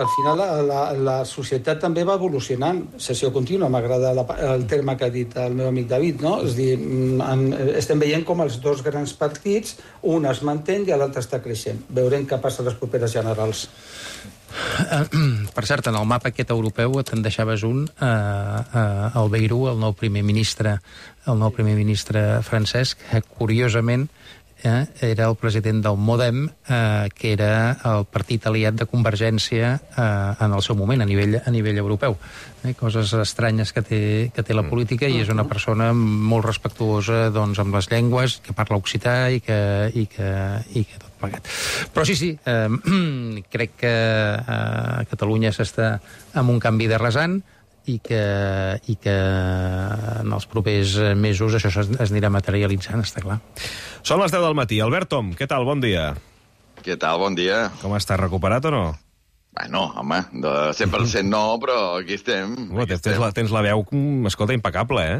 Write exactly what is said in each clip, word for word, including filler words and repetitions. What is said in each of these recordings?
Al final la, la, la societat també va evolucionant. Sessió contínua, m'agrada la, el terme que ha dit el meu amic David, no? És dir, en, estem veient com els dos grans partits, un es manté i l'altre està creixent. Veurem què passa a les properes generals. Uh, per cert, en el mapa aquest europeu te'n deixaves un, uh, uh, el Bayrou, el nou primer ministre, el nou primer ministre francès, que curiosament Eh, era el president del Modem, eh, que era el partit aliat de Convergència eh, en el seu moment, a nivell, a nivell europeu. Eh, coses estranyes que té, que té la política, i és una persona molt respectuosa, doncs, amb les llengües, que parla occità i que, i que, i que tot plegat. Però sí, sí, eh, crec que eh, Catalunya s'està amb un canvi de rasant, i que, i que en els propers mesos això es, es anirà materialitzant, està clar. Són les deu del matí. Albert Tom, què tal? Bon dia. Què tal? Bon dia. Com estàs? Recuperat o no? Bueno, home, de cent per cent no, però aquí estem. Oh, aquí tens, estem. la, tens la veu, escolta, impecable, eh?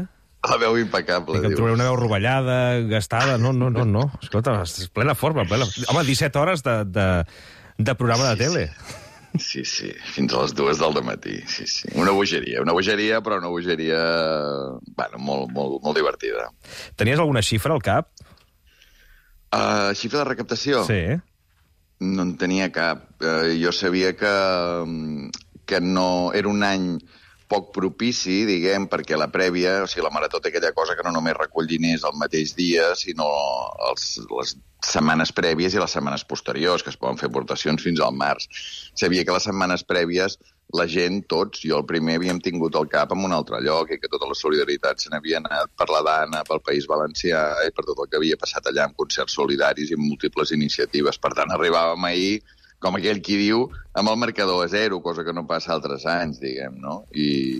La veu impecable, I que et trobaré una veu rovellada, gastada... No, no, no, no. Escolta, és plena forma, plena... Home, disset hores de, de, de programa de tele. Sí, sí. Sí, sí, fins a les dues del dematí, sí, sí. Una bogeria, una bogeria, però una bogeria, bueno, molt, molt, molt divertida. Tenies alguna xifra al cap? Uh, xifra de recaptació? Sí. No en tenia cap. Uh, jo sabia que, que no era un any poc propici, diguem, perquè la prèvia, o sigui, la Marató té aquella cosa que no només recull diners el mateix dia, sinó els, les setmanes prèvies i les setmanes posteriors, que es poden fer aportacions fins al març. Sabia que les setmanes prèvies la gent, tots, jo el primer, havíem tingut el cap en un altre lloc i que tota la solidaritat se n'havia anat per la Dana, pel País Valencià i per tot el que havia passat allà amb concerts solidaris i amb múltiples iniciatives. Per tant, arribàvem ahir, com aquell qui diu, amb el marcador a zero, cosa que no passa altres anys, diguem, no? I,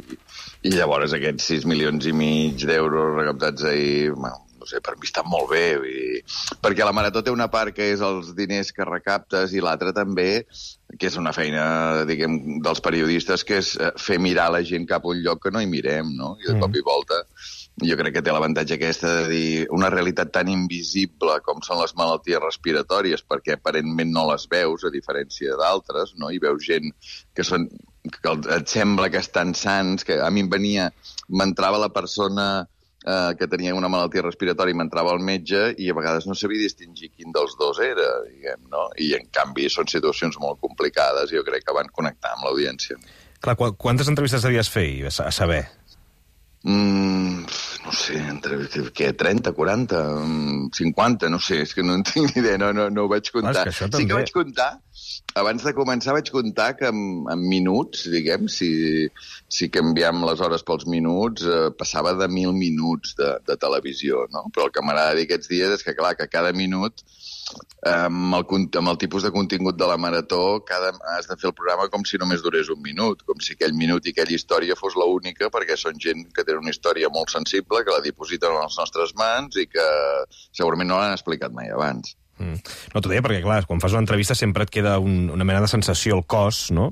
i llavors aquests sis milions i mig d'euros recaptats ahir, bueno, no sé, per mi està molt bé, i... perquè la Marató té una part que és els diners que recaptes i l'altra també, que és una feina, diguem, dels periodistes, que és fer mirar la gent cap a un lloc que no hi mirem, no? I de cop i volta jo crec que té l'avantatge aquesta de dir una realitat tan invisible com són les malalties respiratòries, perquè aparentment no les veus, a diferència d'altres, no? I veus gent que són que et sembla que estan sants, que a mi em venia, m'entrava la persona eh, que tenia una malaltia respiratòria i m'entrava el metge i a vegades no sabia distingir quin dels dos era, diguem, no? I en canvi són situacions molt complicades i jo crec que van connectar amb l'audiència. Clar, qu quantes entrevistes devies fer a saber? Mm, no sé, entre, què, trenta, quaranta, cinquanta, no sé, és que no en tinc ni idea, no, no, no ho vaig comptar. Ah, que sí que vaig comptar, abans de començar vaig comptar que en, en minuts, diguem, si, si canviem les hores pels minuts, eh, passava de mil minuts de, de televisió, no? Però el que m'agrada dir aquests dies és que, clar, que cada minut, amb el, amb el tipus de contingut de la Marató, cada, has de fer el programa com si només durés un minut, com si aquell minut i aquella història fos l'única, perquè són gent que tenen una història molt sensible, que la dipositen a les nostres mans i que segurament no l'han explicat mai abans. Mm. No t'ho deia perquè, clar, quan fas una entrevista sempre et queda un, una mena de sensació al cos, no?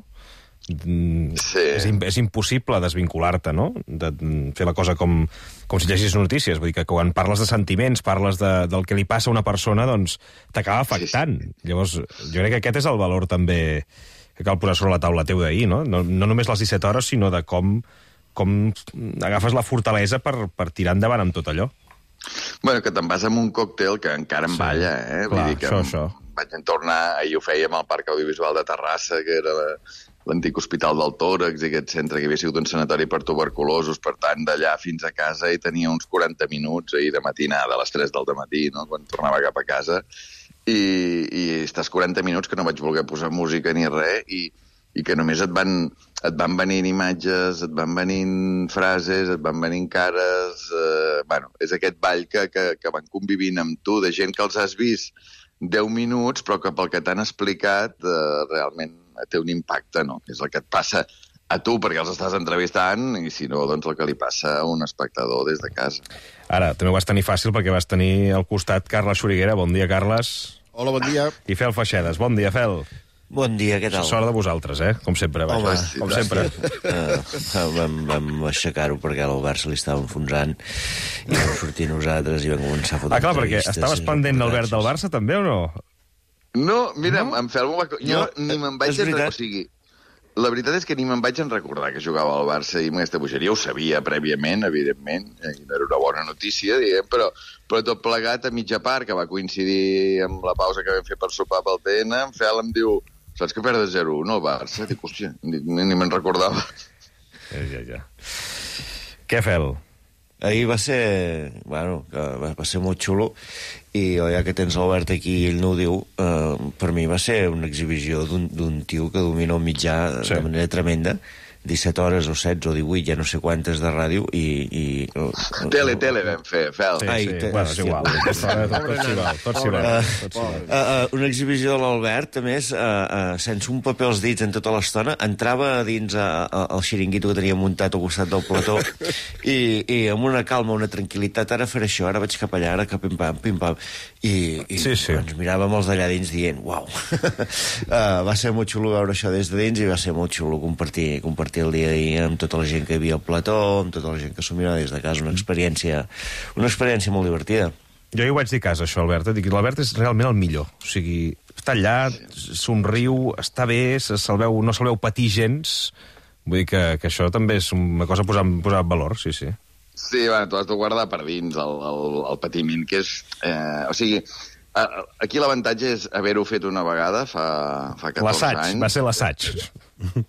Sí. És, és impossible desvincular-te, no? De fer la cosa com, com si llegis notícies. Vull dir que quan parles de sentiments, parles de, del que li passa a una persona, doncs t'acaba afectant. Sí, sí. Llavors, jo crec que aquest és el valor també que cal posar sobre la taula teu d'ahir, no? No, no només les disset hores, sinó de com, com agafes la fortalesa per, per tirar endavant amb tot allò. Bueno, que te'n vas amb un còctel que encara em sí. balla, eh? Clar, Vull dir que això, això. Vaig tornar, ahir ho fèiem al Parc Audiovisual de Terrassa, que era la, l'antic Hospital del Tòrax, i aquest centre que havia sigut un sanatori per tuberculosos, per tant, d'allà fins a casa hi tenia uns quaranta minuts ahir de matinada, a les tres del matí, no? Quan tornava cap a casa, i, i estàs quaranta minuts que no vaig voler posar música ni res, i, i que només et van, et van venint imatges, et van venint frases, et van venint cares... Eh, bueno, és aquest ball que, que, que van convivint amb tu, de gent que els has vist deu minuts, però que pel que t'han explicat eh, realment té un impacte, no? Que és el que et passa a tu perquè els estàs entrevistant i si no, doncs el que li passa a un espectador des de casa. Ara, també ho vas tenir fàcil perquè vas tenir al costat Carles Xuriguera. Bon dia, Carles. Hola, bon dia. I Fel Feixedes. Bon dia, Fel. Bon dia, què tal? Sort de vosaltres, eh? Com sempre, vaja. Home, sí, com sempre. Uh, vam vam aixecar-ho perquè l'Albert se li estava enfonsant i vam sortir nosaltres i vam començar a fotre ah, clar, perquè estaves pendent l'Albert del Barça, també, o no? No, mira, no? Em Fel m'ho va... Jo no, ni me'n vaig... És veritat. O sigui, la veritat és que ni me'n vaig en recordar que jugava al Barça i amb aquesta bogeria. Ho sabia prèviament, evidentment, i no era una bona notícia, diguem, però, però tot plegat a mitja part, que va coincidir amb la pausa que vam fer per sopar pel T N, en Fel em diu, saps que perd zero u no, el Barça? Dic, hòstia, ni, ni me'n recordava. Ja, ja, ja. Què, Fel? Ahir va ser, bueno, va, va ser molt xulo i ja que tens l'Albert aquí i ell no ho diu, eh, per mi va ser una exhibició d'un tio que domina el mitjà sí. de manera tremenda, disset hores o setze o divuit, ja no sé quantes de ràdio i... i tele, tele vam fer, Fel. Sí, sí, sí. Bueno, és igual. Tot s'hi val, tot s'hi val. Una exhibició de l'Albert, a més, uh, uh, sense un paper als dits en tota l'estona, entrava dins uh, el xiringuito que tenia muntat al costat del plató i, i amb una calma, una tranquil·litat, ara faré això, ara vaig cap allà, ara cap pim-pam, pim-pam, i, i sí, sí. ens miràvem els d'allà dins dient, uau. uh, va ser molt xulo veure això des de dins i va ser molt xulo compartir, compartir el dia d'ahir amb tota la gent que hi havia al plató, amb tota la gent que s'ho mirava des de casa, una experiència, una experiència molt divertida. Jo hi ho vaig dir a casa, això, Albert. Dic, l'Albert és realment el millor. O sigui, està allà, somriu, està bé, se'l veu, no se'l veu patir gens. Vull dir que, que això també és una cosa a posar, posar en valor, sí, sí. Sí, bueno, tu has de guardar per dins el, el, el patiment, que és... Eh, o sigui, aquí l'avantatge és haver-ho fet una vegada fa, fa catorze anys. Va ser l'assaig.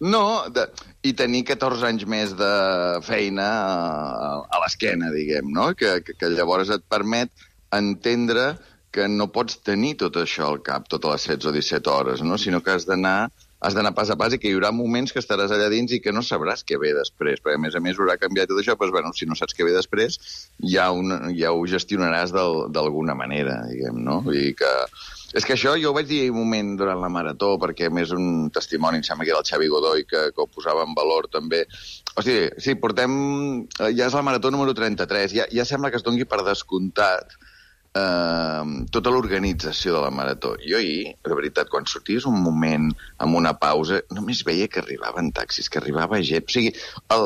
No, de, i tenir catorze anys més de feina a, a l'esquena, diguem, no? Que, que, que llavors et permet entendre que no pots tenir tot això al cap, totes les setze o disset hores, no? Sinó que has d'anar has d'anar pas a pas i que hi haurà moments que estaràs allà dins i que no sabràs què ve després, perquè a més a més haurà canviat tot això, doncs, bueno, si no saps què ve després, ja, un, ja ho gestionaràs d'alguna manera, diguem, no? Vull dir que... És que això jo ho vaig dir un moment durant la marató, perquè a més un testimoni, em sembla que era el Xavi Godoy, que, que ho posava en valor també. O sigui, sí, portem... Ja és la marató número trenta-tres, ja, ja sembla que es doni per descomptat Uh, tota l'organització de la marató. Jo ahir, de veritat, quan sorties un moment amb una pausa, només veia que arribaven taxis, que arribava gent. O sigui, el,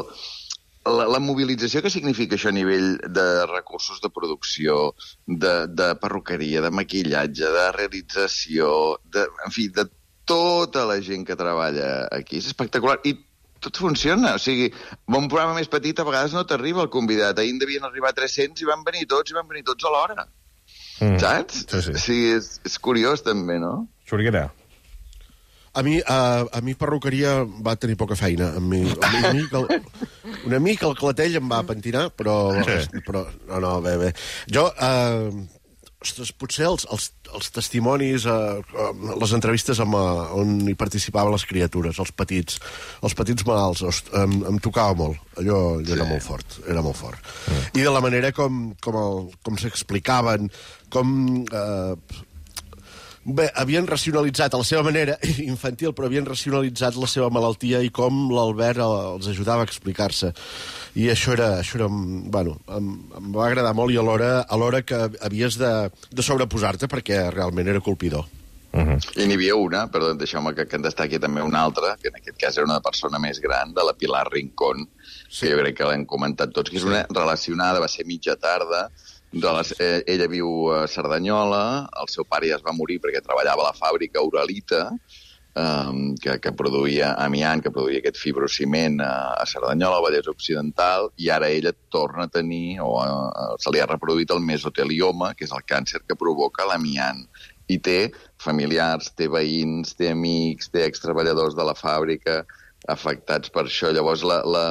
la, la mobilització que significa això a nivell de recursos de producció, de, de perruqueria, de maquillatge, de realització, de, en fi, de tota la gent que treballa aquí, és espectacular. I tot funciona, o sigui, un programa més petit a vegades no t'arriba el convidat. Ahir en devien arribar tres-cents i van venir tots, i van venir tots a l'hora. Mm. Saps? Sí, sí. Sí, és, és curiós també, no? Xuriguera. A mi, a, a mi perruqueria va tenir poca feina. A mi, a mi, a mi el, una mica el clatell em va pentinar, però... Sí. però no, no, bé, bé. Jo... Eh, ostres, potser els, els, els testimonis, eh, les entrevistes amb, eh, on hi participaven les criatures, els petits, els petits malalts, host, em, em tocava molt. Allò, allò sí. era molt fort, era molt fort. Mm. I de la manera com, com, el, com s'explicaven, com... Eh, bé, havien racionalitzat a la seva manera infantil, però havien racionalitzat la seva malaltia i com l'Albert els ajudava a explicar-se. I això era, això era bueno, em, em va agradar molt i alhora, alhora que havies de, de sobreposar-te perquè realment era colpidor. Uh-huh. I n'hi havia una, perdó, deixeu-me que, que en destaqui també una altra, que en aquest cas era una persona més gran, de la Pilar Rincón, sí. que jo crec que l'hem comentat tots, que és una relacionada, va ser mitja tarda, de les, eh, ella viu a Cerdanyola, el seu pare ja es va morir perquè treballava a la fàbrica Uralita, eh, que, que produïa amiant, que produïa aquest fibrociment a, a Cerdanyola, al Vallès Occidental, i ara ella torna a tenir, o a, se li ha reproduït el mesotelioma, que és el càncer que provoca l'amiant. I té familiars, té veïns, té amics, té extreballadors de la fàbrica afectats per això. Llavors, la, la,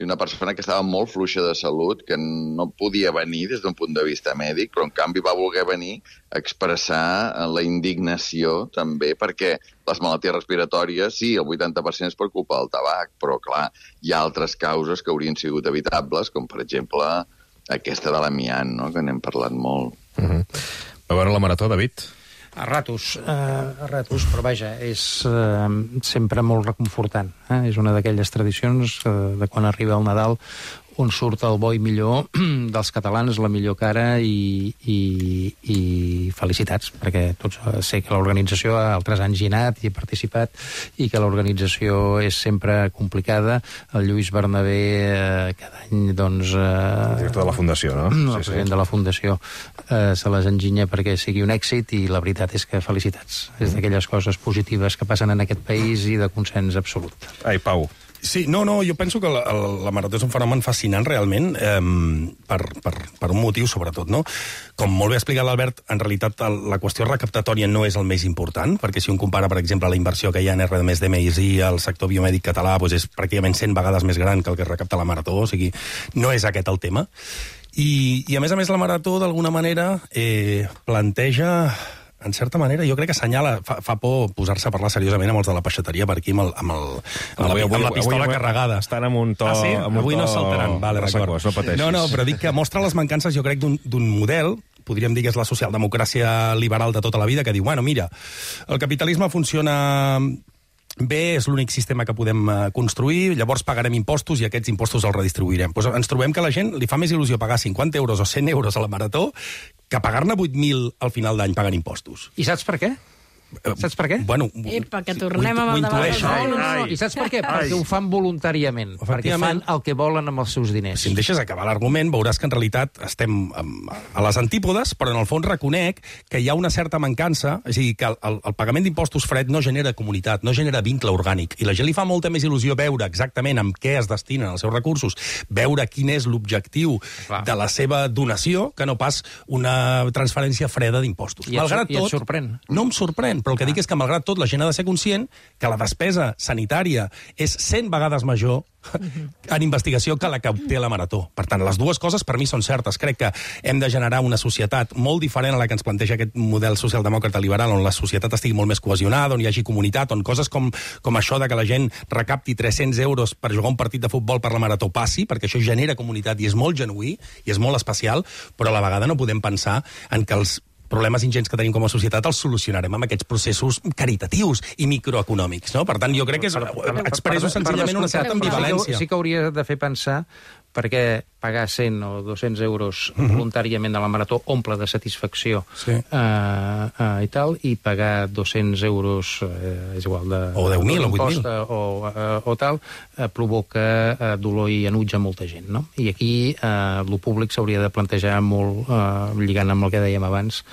una persona que estava molt fluixa de salut, que no podia venir des d'un punt de vista mèdic, però en canvi va voler venir a expressar la indignació també, perquè les malalties respiratòries, sí, el vuitanta per cent és per culpa del tabac, però clar, hi ha altres causes que haurien sigut evitables, com per exemple aquesta de l'amiant, no?, que n'hem parlat molt. Uh-huh. A veure la marató, David? A ratos, eh, a ratos, però vaja, és eh, sempre molt reconfortant. Eh? És una d'aquelles tradicions eh, de quan arriba el Nadal on surt el bo i millor dels catalans, la millor cara, i, i, i felicitats, perquè tots sé que l'organització altres anys hi ha anat i he participat, i que l'organització és sempre complicada. El Lluís Bernabé eh, cada any, doncs... Eh, el director de la Fundació, no? El sí, president sí. de la Fundació eh, se les enginya perquè sigui un èxit, i la veritat és que felicitats. Mm. És d'aquelles coses positives que passen en aquest país i de consens absolut. Ai, Pau. Sí, no, no, jo penso que la, la marató és un fenomen fascinant realment, eh, per, per, per un motiu sobretot, no? Com molt bé ha explicat l'Albert, en realitat el, la qüestió recaptatòria no és el més important, perquè si un compara, per exemple, la inversió que hi ha en R més D M I al sector biomèdic català, doncs és pràcticament cent vegades més gran que el que recapta la marató, o sigui, no és aquest el tema. I, i a més a més la marató, d'alguna manera, eh, planteja... en certa manera, jo crec que assenyala, fa, fa por posar-se a parlar seriosament amb els de la peixateria per aquí, amb, el, amb, el, amb, avui, la, amb la pistola avui, carregada. Estan amb un to... Ah, sí? Amb un avui to... no saltaran. Vale, d'acord. No pateixis. No, no, però dic que mostra les mancances, jo crec, d'un model, podríem dir que és la socialdemocràcia liberal de tota la vida, que diu, bueno, mira, el capitalisme funciona... bé, és l'únic sistema que podem construir, llavors pagarem impostos i aquests impostos els redistribuirem. Pues ens trobem que a la gent li fa més il·lusió pagar cinquanta euros o cent euros a la marató que pagar-ne vuit mil al final d'any pagant impostos. I saps per què? Saps per què? Bueno, Epa, que tornem amb el debat. No, no, no. I saps per què? Ai. Perquè ho fan voluntàriament. Perquè fan el que volen amb els seus diners. Si em deixes acabar l'argument, veuràs que en realitat estem a les antípodes, però en el fons reconec que hi ha una certa mancança, és a dir, que el, el pagament d'impostos fred no genera comunitat, no genera vincle orgànic, i la gent li fa molta més il·lusió veure exactament amb què es destinen els seus recursos, veure quin és l'objectiu de la seva donació, que no pas una transferència freda d'impostos. I, malgrat tot, i et sorprèn? No em sorprèn, però el que dic és que, malgrat tot, la gent ha de ser conscient que la despesa sanitària és cent vegades major en investigació que la que obté la marató. Per tant, les dues coses per mi són certes. Crec que hem de generar una societat molt diferent a la que ens planteja aquest model socialdemòcrata liberal, on la societat estigui molt més cohesionada, on hi hagi comunitat, on coses com, com això de que la gent recapti tres-cents euros per jugar un partit de futbol per la marató passi, perquè això genera comunitat i és molt genuí i és molt especial, però a la vegada no podem pensar en que els problemes ingents que tenim com a societat els solucionarem amb aquests processos caritatius i microeconòmics, no? Per tant, jo crec que és, expresso senzillament una certa ambivalència. Sí que hauria de fer pensar perquè pagar cent o dos-cents euros voluntàriament a la marató omple de satisfacció sí. uh, uh, i tal, i pagar dos-cents euros, uh, és igual de... O deu mil o vuit mil. O, uh, o tal, uh, provoca uh, dolor i enuig a molta gent, no? I aquí uh, lo públic s'hauria de plantejar molt, uh, lligant amb el que dèiem abans,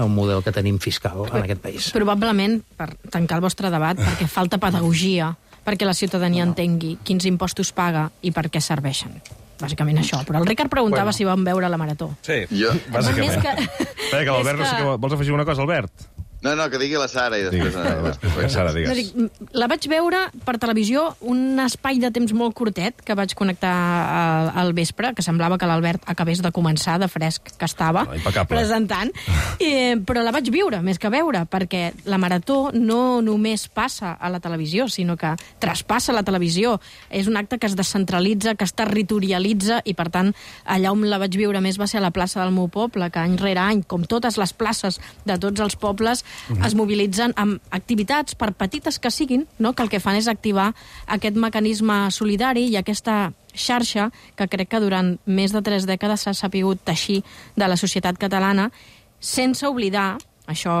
un model que tenim fiscal en aquest país. Probablement, per tancar el vostre debat, perquè falta pedagogia, perquè la ciutadania no. entengui quins impostos paga i per què serveixen. Bàsicament això. Però el Ricard preguntava bueno. si vam veure la marató. Sí, jo, bàsicament. Que... Espera, que l'Albert, que... no sé què... Vols afegir una cosa, Albert? No, no, que digui la Sara i després... Digues, després Sara, digues. No, dic, la vaig veure per televisió un espai de temps molt curtet que vaig connectar al, al vespre, que semblava que l'Albert acabés de començar, de fresc que estava, oh, presentant. I, però la vaig viure, més que veure, perquè la marató no només passa a la televisió, sinó que traspassa la televisió. És un acte que es descentralitza, que es territorialitza, i per tant, allà on la vaig viure més va ser a la plaça del meu poble, que any rere any, com totes les places de tots els pobles, Uh-huh. es mobilitzen amb activitats, per petites que siguin, no? Que el que fan és activar aquest mecanisme solidari i aquesta xarxa que crec que durant més de tres dècades s'ha sapigut teixir de la societat catalana, sense oblidar, això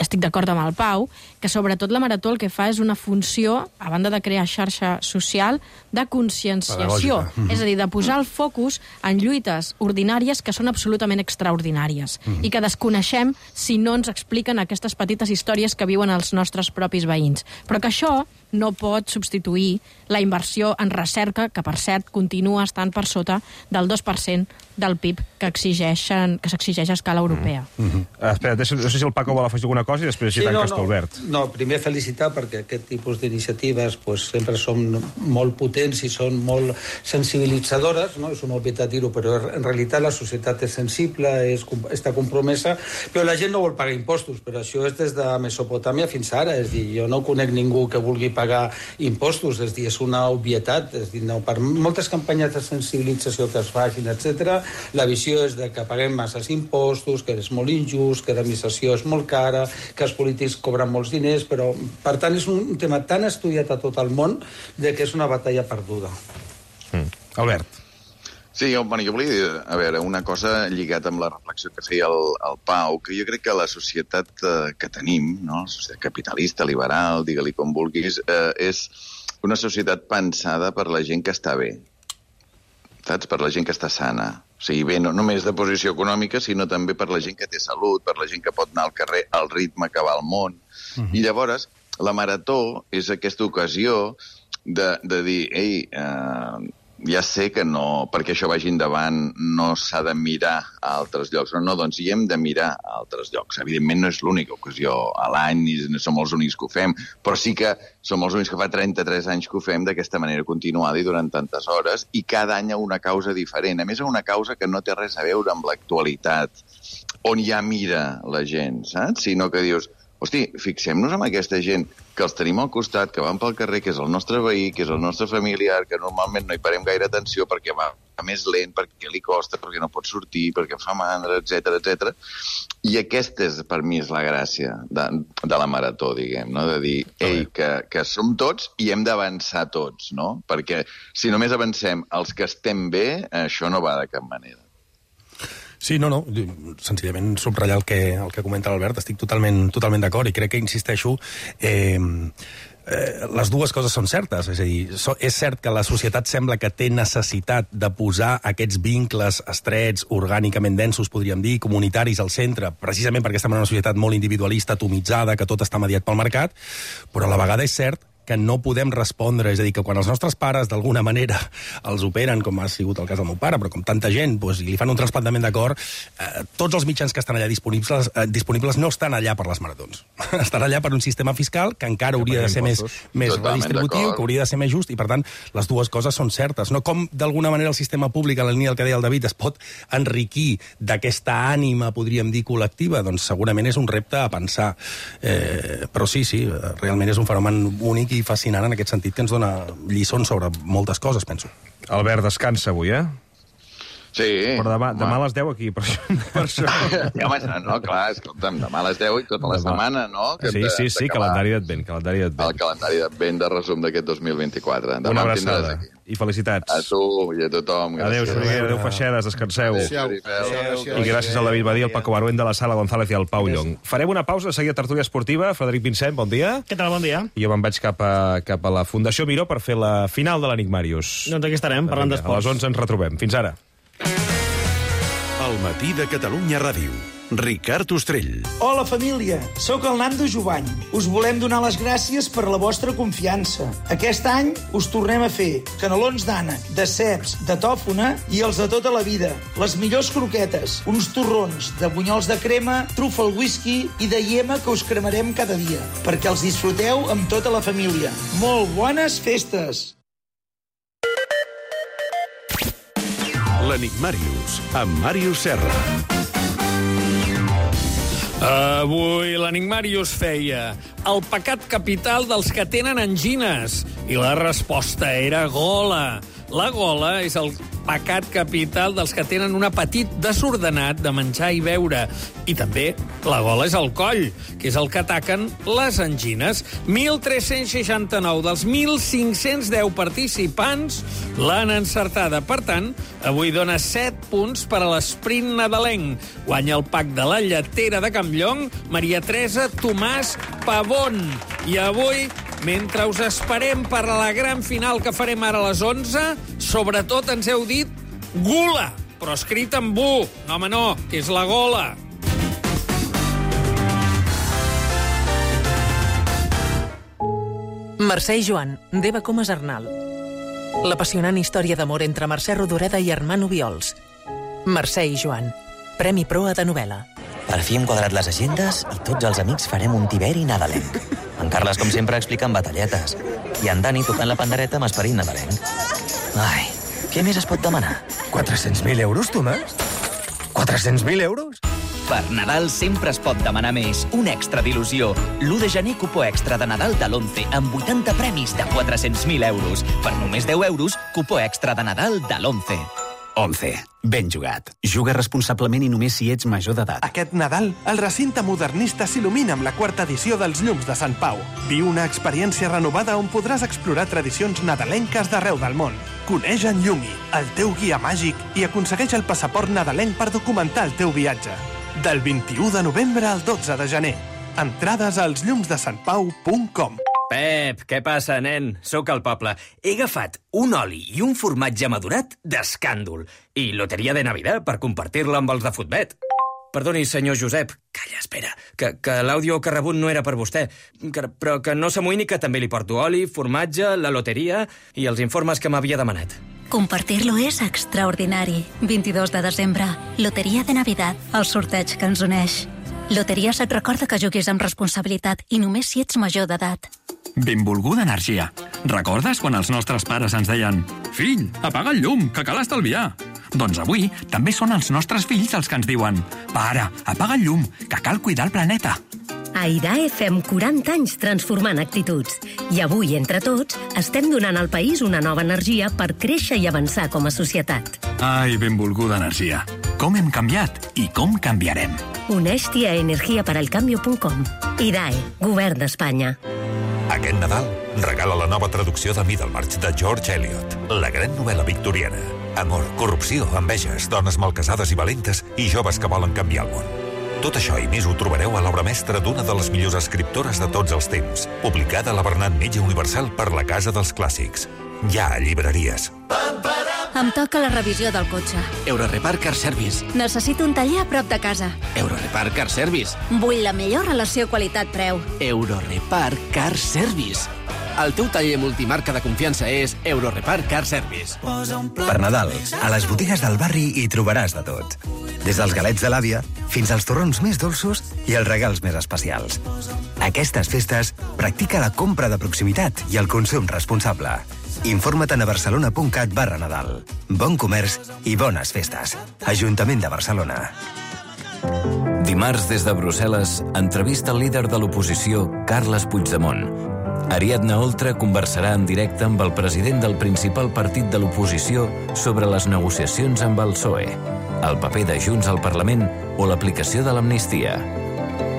estic d'acord amb el Pau, que sobretot la marató el que fa és una funció, a banda de crear xarxa social, de conscienciació. Mm-hmm. És a dir, de posar el focus en lluites ordinàries que són absolutament extraordinàries mm-hmm. i que desconeixem si no ens expliquen aquestes petites històries que viuen els nostres propis veïns. Però que això no pot substituir la inversió en recerca, que per cert continua estant per sota del dos per cent del P I B que exigeixen, que s'exigeix a escala europea. Mm-hmm. Uh, espera, no sé si el Paco vol afegir alguna cosa i després així sí, tanques no, no, Albert. No, primer felicitar perquè aquest tipus d'iniciatives pues, sempre són molt potents i són molt sensibilitzadores, no? És una obvietat dir-ho, però en realitat la societat és sensible, és, està compromesa, però la gent no vol pagar impostos, però això és des de Mesopotàmia fins ara, és dir, jo no conec ningú que vulgui pagar impostos, és dir, és una obvietat, és dir, no, per moltes campanyes de sensibilització que es facin, etcètera, la visió és de que paguem masses impostos, que és molt injust, que l'administració és molt cara, que els polítics cobren molts diners, però, per tant, és un tema tan estudiat a tot el món de que és una batalla perduda. Mm. Albert. Sí, jo, bueno, jo volia dir, a veure, una cosa lligat amb la reflexió que feia el, el Pau, que jo crec que la societat eh, que tenim, no? La societat capitalista, liberal, digue-li com vulguis, eh, és una societat pensada per la gent que està bé, saps? Per la gent que està sana. O sigui, bé, no només de posició econòmica, sinó també per la gent que té salut, per la gent que pot anar al carrer al ritme que va al món. Uh-huh. I llavors, la marató és aquesta ocasió de, de dir, ei, eh, ja sé que no, perquè això vagi endavant, no s'ha de mirar a altres llocs. No, no, doncs hi hem de mirar a altres llocs. Evidentment no és l'única ocasió a l'any, i no som els únics que ho fem, però sí que som els únics que fa trenta-tres anys que ho fem d'aquesta manera continuada i durant tantes hores, i cada any a una causa diferent. A més, a una causa que no té res a veure amb l'actualitat, on ja mira la gent, saps? Sinó que dius, hosti, fixem-nos en aquesta gent que els tenim al costat, que van pel carrer, que és el nostre veí, que és el nostre familiar, que normalment no hi parem gaire atenció perquè va més lent, perquè li costa, perquè no pot sortir, perquè fa mandra, etcètera, etcètera. I aquesta, és, per mi, és la gràcia de, de la marató, diguem, no? De dir, ei, que, que som tots i hem d'avançar tots, no? Perquè si només avancem els que estem bé, això no va de cap manera. Sí, no, no, senzillament subratllar el que, el que comenta l'Albert, estic totalment, totalment d'acord i crec que, insisteixo, eh, eh, les dues coses són certes. És a dir, so, és cert que la societat sembla que té necessitat de posar aquests vincles estrets, orgànicament densos, podríem dir, comunitaris al centre, precisament perquè estem en una societat molt individualista, atomitzada, que tot està mediat pel mercat, però a la vegada és cert que no podem respondre, és a dir, que quan els nostres pares d'alguna manera els operen, com ha sigut el cas del meu pare, però com tanta gent, doncs, i li fan un trasplantament de cor, eh, tots els mitjans que estan allà disponibles, eh, disponibles no estan allà per les maratons. Estan allà per un sistema fiscal que encara hauria de ser més, més redistributiu, que hauria de ser més just, i per tant les dues coses són certes. No com d'alguna manera el sistema públic, en la línia del que deia el David, es pot enriquir d'aquesta ànima, podríem dir, col·lectiva, doncs segurament és un repte a pensar. Eh, però sí, sí, realment és un fenomen únic i fascinant en aquest sentit, que ens dona lliçons sobre moltes coses, penso. Albert, descansa avui, eh? Sí. Però demà, demà a les deu aquí, per això. Per això. Ja, home, no, clar, escolta'm, demà a les deu i tota la setmana, no? Que sí, sí, sí, calendari d'advent, calendari d'advent. El calendari d'advent de resum d'aquest dos mil vint-i-quatre. Demà una abraçada i felicitats. A tu i a tothom. Adéu, Soriguera, adéu, Feixedes, descanseu. Adéu, I gràcies al David Badí, al Paco Baruén de la Sala González i al Pau Llong. Farem una pausa, de seguida tertúlia esportiva. Frederic Vincent, bon dia. Què tal, bon dia? I jo me'n vaig cap a, cap a la Fundació Miró per fer la final de l'Enigmàrius. Doncs aquí estarem, parlant d'esports. A les onze ens retrobem. Fins ara. El matí de Catalunya Ràdio. Ricard Ostrell. Hola, família. Soc el Nando Jovany. Us volem donar les gràcies per la vostra confiança. Aquest any us tornem a fer canelons d'ànec, de ceps, de tòfona i els de tota la vida. Les millors croquetes, uns torrons de bunyols de crema, trufa al whisky i de iema que us cremarem cada dia, perquè els disfruteu amb tota la família. Molt bones festes! L'Enigmàrius, amb Màrius Serra. Avui l'Enigmàrius feia el pecat capital dels que tenen angines i la resposta era gola. La gola és el pecat capital dels que tenen un apetit desordenat de menjar i beure. I també la gola és el coll, que és el que ataquen les angines. mil tres-cents seixanta-nou dels mil cinc-cents deu participants l'han encertada. Per tant, avui dona set punts per a l'esprint nadalenc. Guanya el pack de la lletera de Campllong, Maria Teresa Tomàs Pavón. I avui, mentre us esperem per a la gran final que farem ara a les onze, sobretot ens heu dit gula, però escrit amb bu. No, home, no, que és la gola. Mercè i Joan, d'Eva Comas Arnal. L'apassionant història d'amor entre Mercè Rodoreda i Armand Obiols. Mercè i Joan, Premi Proa de novel·la. Per fi hem quadrat les agendes i tots els amics farem un tiberi nadalenc. En Carles, com sempre, explicant batalletes. I en Dani tocant la pandereta amb esperit nadalenc. Ai, què més es pot demanar? quatre-cents mil euros, Tomàs? quatre-cents mil euros? Per Nadal sempre es pot demanar més. Un extra d'il·lusió. l'u de gener, cupó extra de Nadal de l'Once, amb vuitanta premis de quatre-cents mil euros. Per només deu euros, cupó extra de Nadal de l'Once. Once. Ben jugat. Juga responsablement i només si ets major d'edat. Aquest Nadal, el recinte modernista s'il·lumina amb la quarta edició dels Llums de Sant Pau. Viu una experiència renovada on podràs explorar tradicions nadalenques d'arreu del món. Coneix en Llumi, el teu guia màgic, i aconsegueix el passaport nadalenc per documentar el teu viatge. Del vint-i-u de novembre al dotze de gener. Entrades als llums de sant pau punt com. Pep, què passa, nen? Sóc al poble. He agafat un oli i un formatge madurat d'escàndol i loteria de Navidad per compartir-la amb els de Futbet. Perdoni, senyor Josep. Calla, espera, que, que l'àudio que he rebut no era per vostè. Que, però que no s'amoïni, que també li porto oli, formatge, la loteria i els informes que m'havia demanat. Compartir-lo és extraordinari. vint-i-dos de desembre, Loteria de Navidad, el sorteig que ens uneix. Loteries et recorda que juguis amb responsabilitat i només si ets major d'edat. Benvolguda energia. Recordes quan els nostres pares ens deien «Fill, apaga el llum, que cal estalviar»? Doncs avui també són els nostres fills els que ens diuen «Pare, apaga el llum, que cal cuidar el planeta». A IDAE fem quaranta anys transformant actituds. I avui, entre tots, estem donant al país una nova energia per créixer i avançar com a societat. Ai, benvolguda energia. Com hem canviat i com canviarem. Uneix-t'hi a energia per al cambio punt com. IDAE, Govern d'Espanya. Aquest Nadal regala la nova traducció de Middlemarch de George Eliot, la gran novel·la victoriana. Amor, corrupció, enveges, dones malcasades i valentes i joves que volen canviar el món. Tot això i més ho trobareu a l'obra mestra d'una de les millors escriptores de tots els temps, publicada a la Bernat Metge Universal per la Casa dels Clàssics. Ja a llibreries. Em toca la revisió del cotxe. Eurorepar Car Service. Necessito un taller a prop de casa. Eurorepar Car Service. Vull la millor relació qualitat-preu. Eurorepar Car Service. El teu taller multimarca de confiança és Eurorepar Car Service. Per Nadal, a les botigues del barri hi trobaràs de tot. Des dels galets de l'àvia fins als torrons més dolços i els regals més especials. Aquestes festes practica la compra de proximitat i el consum responsable. Informa't a barcelona punt cat barra Nadal. Bon comerç i bones festes. Ajuntament de Barcelona. Dimarts, des de Brussel·les, entrevista el líder de l'oposició, Carles Puigdemont. Ariadna Oltra conversarà en directe amb el president del principal partit de l'oposició sobre les negociacions amb el P S O E, el paper de Junts al Parlament o l'aplicació de l'amnistia.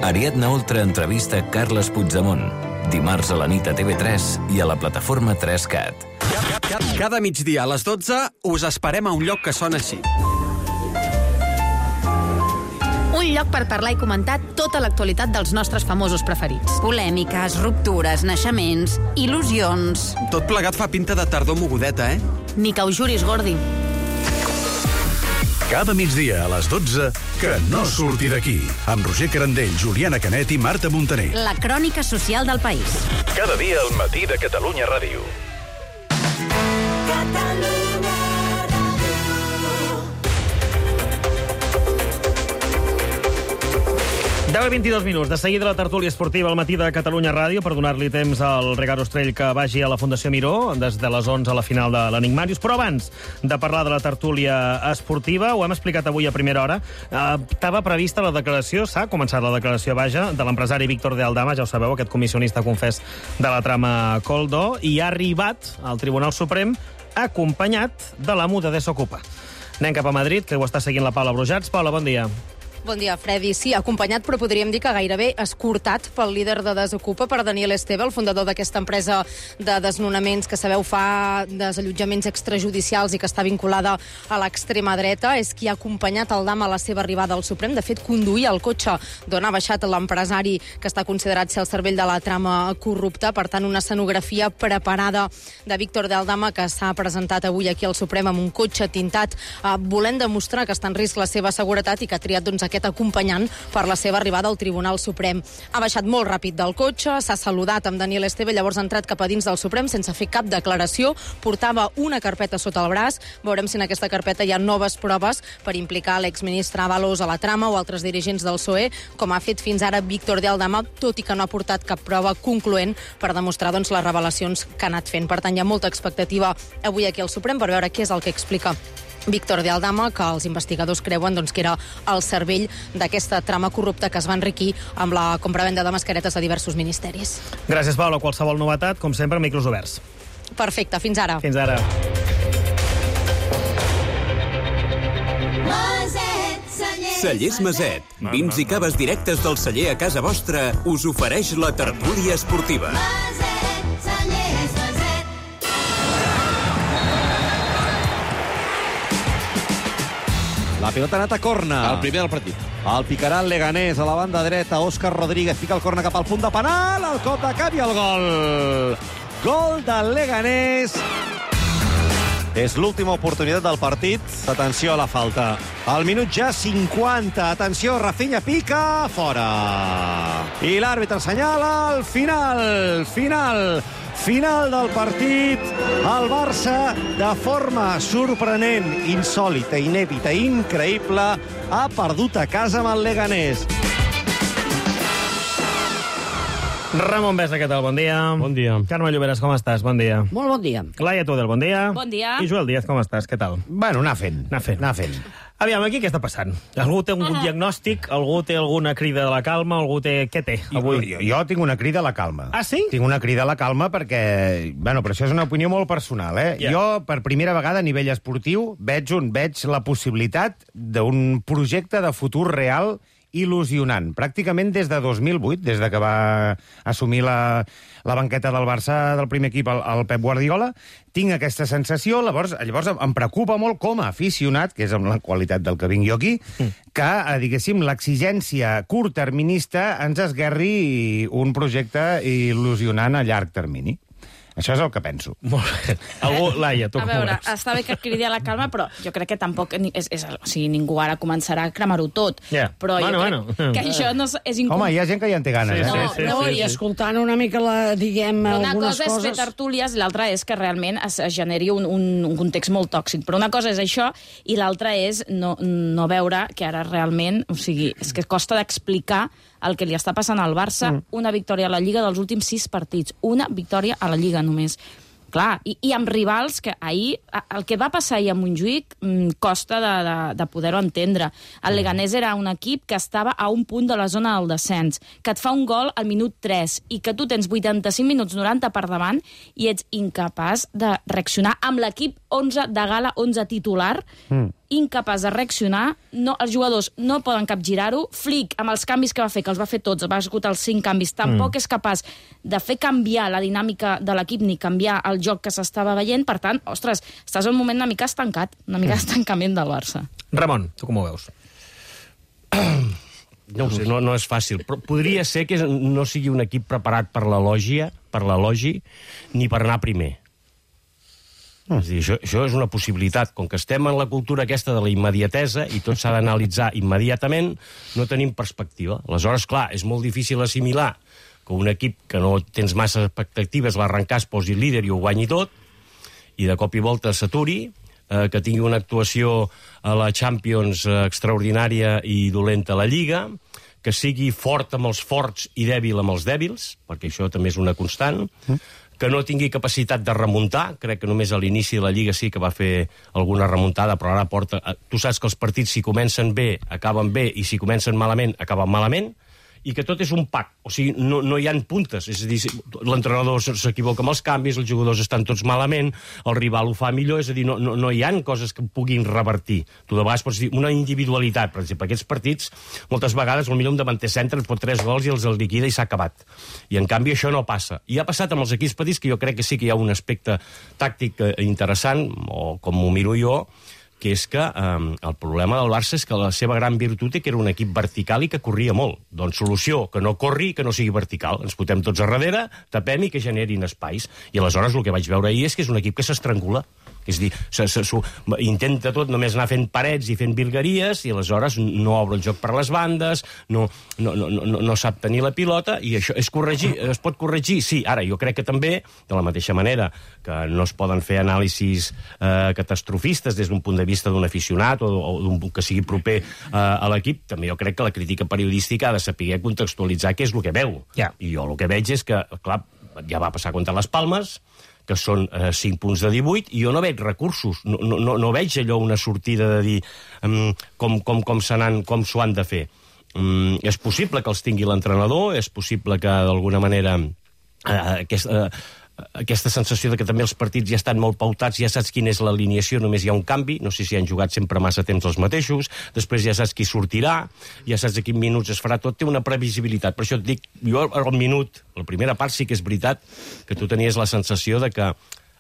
Ariadna Oltra entrevista Carles Puigdemont, dimarts a la nit a T V tres i a la plataforma tres cat. Cada migdia a les dotze us esperem a un lloc que sona així. Un lloc per parlar i comentar tota l'actualitat dels nostres famosos preferits. Polèmiques, ruptures, naixements, il·lusions... Tot plegat fa pinta de tardor mogudeta, eh? Ni que ho juris, Gordi. Cada migdia a les dotze, que no surti d'aquí, amb Roger Carandell, Juliana Canet i Marta Montaner. La crònica social del país. Cada dia al matí de Catalunya Ràdio. deu i vint-i-dos minuts. De seguida la tertúlia esportiva al matí de Catalunya Ràdio per donar-li temps al Ricard Ostrell que vagi a la Fundació Miró des de les onze a la final de l'Enigmàrius. Però abans de parlar de la tertúlia esportiva, ho hem explicat avui a primera hora, eh, estava prevista la declaració, s'ha començat la declaració, vaja, de l'empresari Víctor de Aldama, ja ho sabeu, aquest comissionista confés de la trama Coldo, i ha arribat al Tribunal Suprem acompanyat de l'amo de Desokupa. Anem cap a Madrid, que ho està seguint la Paula Brujats. Paula, bon dia. Bon dia, Freddy. Sí, acompanyat, però podríem dir que gairebé escortat pel líder de Desokupa, per Daniel Esteve, el fundador d'aquesta empresa de desnonaments que, sabeu, fa desallotjaments extrajudicials i que està vinculada a l'extrema dreta. És qui ha acompanyat el Dama a la seva arribada al Suprem. De fet, conduïa el cotxe d'on ha baixat l'empresari que està considerat ser el cervell de la trama corrupta. Per tant, una escenografia preparada de Víctor de Aldama que s'ha presentat avui aquí al Suprem amb un cotxe tintat, eh, volent demostrar que està en risc la seva seguretat i que ha triat, doncs, aquest acompanyant per la seva arribada al Tribunal Suprem. Ha baixat molt ràpid del cotxe, s'ha saludat amb Daniel Esteve, llavors ha entrat cap a dins del Suprem sense fer cap declaració, portava una carpeta sota el braç. Veurem si en aquesta carpeta hi ha noves proves per implicar l'exministre Ábalos a la trama o altres dirigents del P S O E, com ha fet fins ara Víctor de Aldama, tot i que no ha portat cap prova concloent per demostrar, doncs, les revelacions que ha anat fent. Per tant, hi ha molta expectativa avui aquí al Suprem per veure què és el que explica Víctor de Aldama, que els investigadors creuen, doncs, que era el cervell d'aquesta trama corrupta que es va enriquir amb la compravenda de mascaretes a diversos ministeris. Gràcies, Paula. Qualsevol novetat, com sempre, micros oberts. Perfecte, fins ara. Fins ara. Cellers Maset. Vins i caves directes del celler a casa vostra us ofereix la tertúlia esportiva. La pilota ha anat a corna. El primer del partit. El picarà el Leganés a la banda dreta. Òscar Rodríguez fica el corna cap al punt de penal. El cop de cap i el gol. Gol del Leganés. És l'última oportunitat del partit. Atenció a la falta. Al minut ja cinquanta. Atenció, Rafinha pica. Fora. I l'àrbitre assenyala el final. Final. Final del partit. El Barça, de forma sorprenent, insòlita, inèdita, increïble, ha perdut a casa amb el Leganés. Ramon Besa, què tal? Bon dia. Bon dia. Carme Lloberes, com estàs? Bon dia. Molt bon dia. Laia Tudel, bon dia. Bon dia. I Joel Díaz, com estàs? Què tal? Bueno, anar fent. Anar fent. Anar fent. Aviam, aquí què està passant? Algú té un uh-huh. diagnòstic? Algú té alguna crida de la calma? Algú té... Què té avui? Jo, jo tinc una crida a la calma. Ah, sí? Tinc una crida a la calma perquè... Bueno, però això és una opinió molt personal, eh? Yeah. Jo, per primera vegada, a nivell esportiu, veig, un, veig la possibilitat d'un projecte de futur real il·lusionant. Pràcticament des de dos mil vuit, des de que va assumir la, la banqueta del Barça del primer equip, el, el Pep Guardiola, tinc aquesta sensació, llavors, llavors em preocupa molt com a aficionat, que és amb la qualitat del que vinc jo aquí, mm. que, diguéssim, l'exigència curtterminista ens esguerri un projecte il·lusionant a llarg termini. Això és el que penso. Molt bé. Algú, Laia, tu a com veure, veus? està bé que cridi a la calma, però jo crec que tampoc... És, és, o sigui, ningú ara començarà a cremar-ho tot. Yeah. Però bueno, jo crec bueno. que això no és incom... Home, hi ha gent que ja en té ganes, sí, eh? sí, No, sí, no, sí, i escoltant una mica, la, diguem, una algunes cosa és coses... fer tertúlies i l'altra és que realment es, es generi un, un, un context molt tòxic. Però una cosa és això i l'altra és no, no veure que ara realment... O sigui, és que costa d'explicar el que li està passant al Barça, mm. una victòria a la Lliga dels últims sis partits. Una victòria a la Lliga només. Clar, i, i amb rivals que ahir... El que va passar ahir a Montjuïc mmm, costa de, de, de poder-ho entendre. El Leganés era un equip que estava a un punt de la zona del descens, que et fa un gol al minut tres i que tu tens vuitanta-cinc minuts noranta per davant i ets incapaç de reaccionar amb l'equip onze de gala, onze titular, mm. incapaç de reaccionar, no, els jugadors no poden capgirar-ho, Flick, amb els canvis que va fer, que els va fer tots, va executar els cinc canvis, tampoc mm. és capaç de fer canviar la dinàmica de l'equip ni canviar el joc que s'estava veient, per tant, ostres, estàs en un moment una mica estancat, una mica mm. d'estancament del Barça. Ramon, tu com ho veus? No ho sé, no, no és fàcil, però podria ser que no sigui un equip preparat per l'elogia, per l'elogi, ni per anar primer. Mm. És a dir, això, això és una possibilitat. Com que estem en la cultura aquesta de la immediatesa i tot s'ha d'analitzar immediatament, no tenim perspectiva. Aleshores, clar, és molt difícil assimilar que un equip que no tens massa expectatives l'arrencar es posi líder i ho guanyi tot, i de cop i volta s'aturi, eh, que tingui una actuació a la Champions eh, extraordinària i dolenta a la Lliga, que sigui fort amb els forts i dèbil amb els dèbils, perquè això també és una constant, mm. que no tingui capacitat de remuntar, crec que només a l'inici de la Lliga sí que va fer alguna remuntada, però ara porta... Tu saps que els partits, si comencen bé, acaben bé, i si comencen malament, acaben malament, i que tot és un pack, o sigui, no, no hi ha puntes, és a dir, l'entrenador s'equivoca amb els canvis, els jugadors estan tots malament, el rival ho fa millor, és a dir, no, no, no hi ha coses que puguin revertir. Tu de vegades pots dir una individualitat, per exemple, aquests partits, moltes vegades, potser un davanter centre pot tres gols i els el liquida i s'ha acabat. I en canvi això no passa. I ha passat amb els equips petits, que jo crec que sí que hi ha un aspecte tàctic interessant, o com ho miro jo, que és que eh, el problema del Barça és que la seva gran virtut és que era un equip vertical i que corria molt. Doncs solució, que no corri i que no sigui vertical. Ens fotem tots a darrere, tapem i que generin espais. I aleshores el que vaig veure ahir és que és un equip que s'estrangula. És a dir, se, se, se, intenta tot només anar fent parets i fent virgueries i aleshores no obre el joc per les bandes, no, no, no, no, no sap tenir la pilota i això és corregir, es pot corregir? Sí, ara jo crec que també, de la mateixa manera que no es poden fer anàlisis eh, catastrofistes des d'un punt de vista d'un aficionat o, o d'un que sigui proper eh, a l'equip, també jo crec que la crítica periodística ha de saber contextualitzar què és el que veu. Yeah. I jo el que veig és que, clar, ja va passar contra les Palmes, que són eh, cinc punts de divuit, i jo no veig recursos, no, no, no veig allò una sortida de dir um, com, com, com s'ho han de fer. Um, és possible que els tingui l'entrenador, és possible que d'alguna manera eh, aquest, eh, aquesta sensació de que també els partits ja estan molt pautats, ja saps quina és l'alineació, només hi ha un canvi, no sé si han jugat sempre massa temps els mateixos, després ja saps qui sortirà, ja saps a quins minuts es farà tot, té una previsibilitat. Per això et dic, jo al minut, la primera part sí que és veritat que tu tenies la sensació de que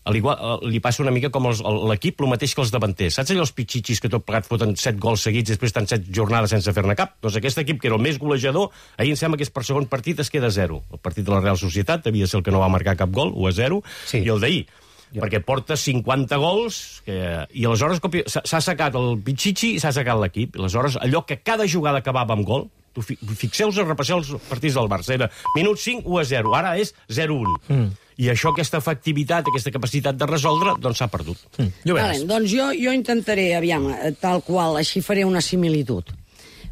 al igual, li passa una mica com els, l'equip, el mateix que els davanters. Saps allò els pitxitxis que tot plegat foten set gols seguits i després estan set jornades sense fer-ne cap? Doncs aquest equip, que era el més golejador, ahir em sembla que és per segon partit es queda a zero. El partit de la Real Societat devia ser el que no va marcar cap gol, u a zero, sí. I el d'ahir. Ja. Perquè porta cinquanta gols que... i aleshores s'ha assecat el pitxitxi i s'ha assecat l'equip. Aleshores, allò que cada jugada acabava amb gol, tu fixeu-vos a repassar els partits del Barça, era minut cinc, u a zero, ara és zero a un. Mm. I això, aquesta efectivitat, aquesta capacitat de resoldre, doncs s'ha perdut. Mm. Vale, doncs jo, jo intentaré, aviam, tal qual, així faré una similitud.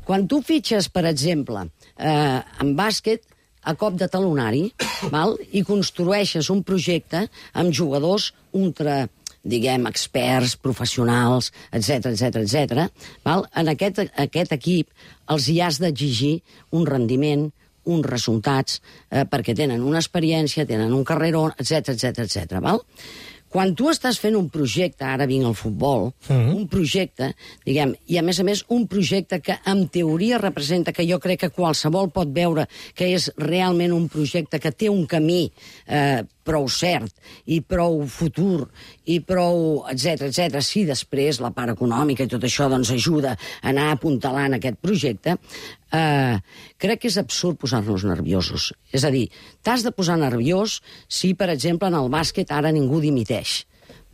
Quan tu fitxes, per exemple, eh, en bàsquet, a cop de talonari, val? I construeixes un projecte amb jugadors ultra, diguem, experts, professionals, etcètera, etcètera, etcètera, val? En aquest, aquest equip els hi has d'exigir un rendiment, uns resultats, eh, perquè tenen una experiència, tenen un carreró, etcètera, etcètera, etcètera, val? Quan tu estàs fent un projecte, ara vinc al futbol, mm-hmm. un projecte, diguem, i a més a més un projecte que en teoria representa, que jo crec que qualsevol pot veure que és realment un projecte que té un camí eh, prou cert i prou futur i prou, etcètera, etcètera, si després la part econòmica i tot això doncs ajuda a anar apuntalant aquest projecte, eh, crec que és absurd posar-nos nerviosos. És a dir, t'has de posar nerviós si, per exemple, en el bàsquet ara ningú dimiteix.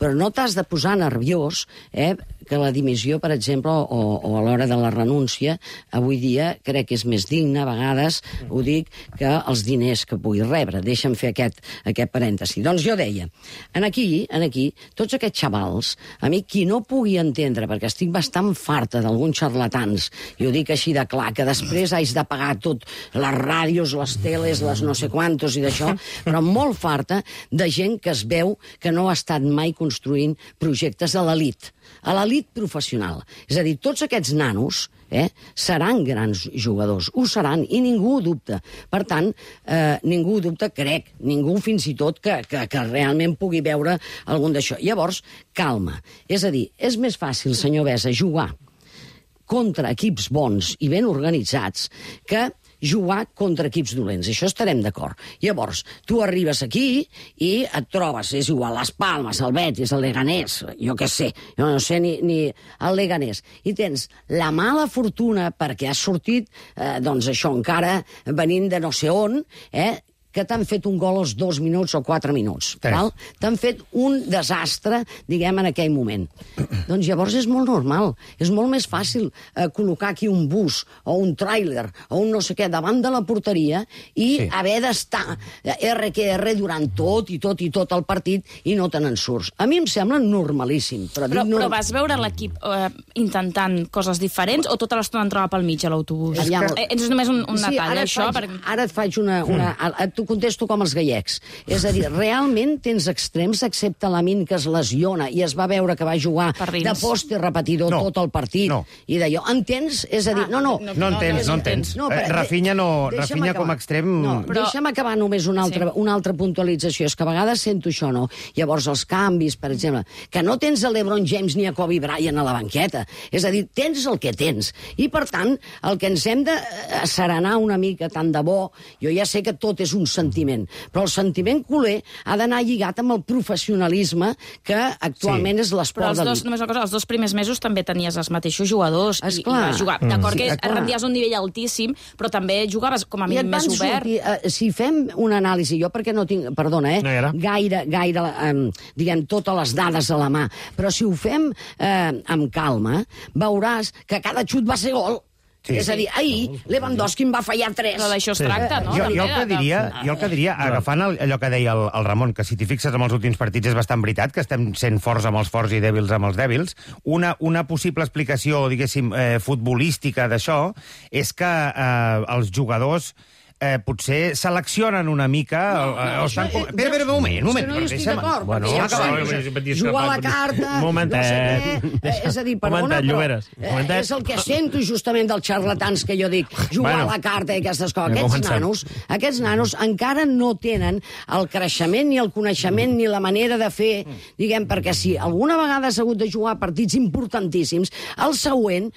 Però no t'has de posar nerviós eh, que la dimissió, per exemple, o, o a l'hora de la renúncia, avui dia crec que és més digne, a vegades, ho dic, que els diners que pugui rebre. Deixa'm fer aquest, aquest parèntesi. Doncs jo deia, en aquí, en aquí, tots aquests xavals, a mi qui no pugui entendre, perquè estic bastant farta d'alguns xarlatans, i ho dic així de clar, que després haig de pagar tot, les ràdios, les teles, les no sé quantos i d'això, però molt farta de gent que es veu que no ha estat mai construint projectes a l'elit, a l'elit professional. És a dir, tots aquests nanos eh, seran grans jugadors, ho seran, i ningú ho dubta. Per tant, eh, ningú ho dubta, crec, ningú fins i tot que, que, que realment pugui veure algun d'això. Llavors, calma. És a dir, és més fàcil, senyor Besa, jugar contra equips bons i ben organitzats que jugar contra equips dolents. Això estarem d'acord. Llavors, tu arribes aquí i et trobes, és igual, les Palmes, el Betis, el Leganés, jo què sé, jo no sé ni, ni el Leganés, i tens la mala fortuna perquè has sortit, eh, doncs això, encara venint de no sé on, eh, que t'han fet un gol als dos minuts o quatre minuts. T'han fet un desastre, diguem, en aquell moment. Doncs llavors és molt normal. És molt més fàcil eh, col·locar aquí un bus o un tràiler o un no sé què davant de la porteria i sí. haver d'estar erre que erre durant tot i tot i tot el partit i no te n'en surts. A mi em sembla normalíssim. Però, però, no... però vas veure l'equip eh, intentant coses diferents o tota l'estona entrava pel mig a l'autobús? És, que... és només un, un sí, detall, ara això? Faig, perquè... Ara et faig una... una mm. T'ho contesto com els gallecs. És a dir, realment tens extrems, excepte l'Amin que es lesiona i es va veure que va jugar de poste repetidor no. tot el partit no. i d'allò. Entens? És a dir, no, no. No entens, no entens. No, però, eh, Rafinha, no, Rafinha com a extrem... No, però... Deixa'm acabar només una altra, sí. una altra puntualització. És que a vegades sento això, no? Llavors, els canvis, per exemple, que no tens a LeBron James ni a Kobe Bryant a la banqueta. És a dir, tens el que tens. I, per tant, el que ens hem de serenar una mica, tant de bo, jo ja sé que tot és un sentiment, però el sentiment culer ha d'anar lligat amb el professionalisme que actualment sí. és l'esport d'elit. Només una cosa, els dos primers mesos també tenies els mateixos jugadors i, i vas jugar. Mm. D'acord sí, que clar. rendies un nivell altíssim, però també jugaves com a mínim més obert. Sortir, uh, si fem una anàlisi, jo perquè no tinc, perdona, eh, no gaire, gaire um, diguem, totes les dades a la mà, però si ho fem uh, amb calma, veuràs que cada xut va ser gol. Sí, és a dir, ahir Lewandowski em va fallar tres. Però d'això es tracta, no? Jo, jo, el que diria, jo el que diria, agafant allò que deia el, el Ramon, que si t'hi fixes amb els últims partits és bastant veritat, que estem sent forts amb els forts i dèbils amb els dèbils, una, una possible explicació, diguéssim, eh, futbolística d'això és que eh, els jugadors eh, potser seleccionen una mica... No, no, o estan... eh, Espera, espera, un moment, un moment. És que no hi estic d'acord. Bueno, Ja jugar a la carta... Un momentet. No sé què, és a dir, perdona, momentet, però Lloberes, momentet. és el que sento justament dels xarlatans que jo dic, jugar Bueno. a la carta i aquestes coses. Vinga, Aquests comencem. nanos, aquests nanos encara no tenen el creixement ni el coneixement ni la manera de fer, diguem, perquè si alguna vegada has hagut de jugar partits importantíssims, el següent,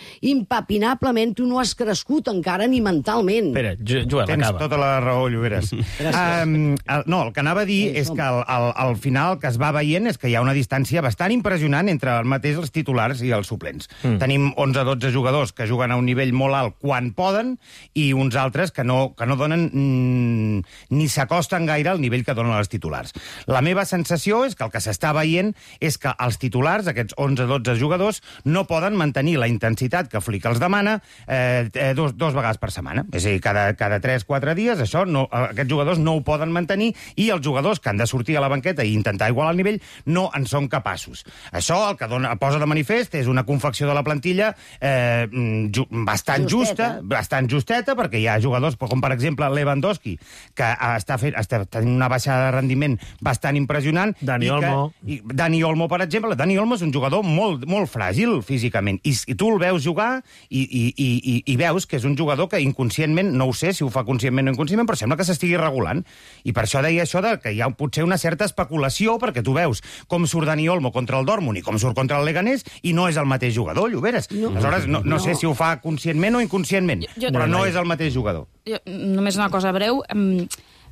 impapinablement, tu no has crescut encara ni mentalment. Espera, Joel, Tens acaba. tota la raó, Lloberes. um, el, no, el que anava a dir és que al, al, al final el que es va veient és que hi ha una distància bastant impressionant entre el mateix els titulars i els suplents. Mm. Tenim onze dotze jugadors que juguen a un nivell molt alt quan poden i uns altres que no, que no donen mm, ni s'acosten gaire al nivell que donen els titulars. La meva sensació és que el que s'està veient és que els titulars, aquests onze dotze jugadors, no poden mantenir la intensitat que Flick els demana eh, eh, dos, dos vegades per setmana. És a dir, cada, cada tres quatre dies, això no, aquests jugadors no ho poden mantenir i els jugadors que han de sortir a la banqueta i intentar igualar el nivell no en són capaços. Això el que dona, posa de manifest és una confecció de la plantilla eh, ju, bastant justeta. justa, bastant justeta, perquè hi ha jugadors com, per exemple, Lewandowski, que està, fent, està tenint una baixada de rendiment bastant impressionant. Dani i que, Olmo. I Dani Olmo, per exemple. Dani Olmo és un jugador molt, molt fràgil físicament, i, i tu el veus jugar i, i, i, i veus que és un jugador que inconscientment, no ho sé si ho fa conscientment o inconscientment, però sembla que s'estigui regulant. I per això deia això de que hi ha potser una certa especulació, perquè tu veus com surt Dani Olmo contra el Dortmund i com surt contra el Leganés, i no és el mateix jugador, Lloberes. No. Aleshores, no, no, no sé si ho fa conscientment o inconscientment, Jo- jo- però no és el mateix jugador. Jo, només una cosa breu. Mm,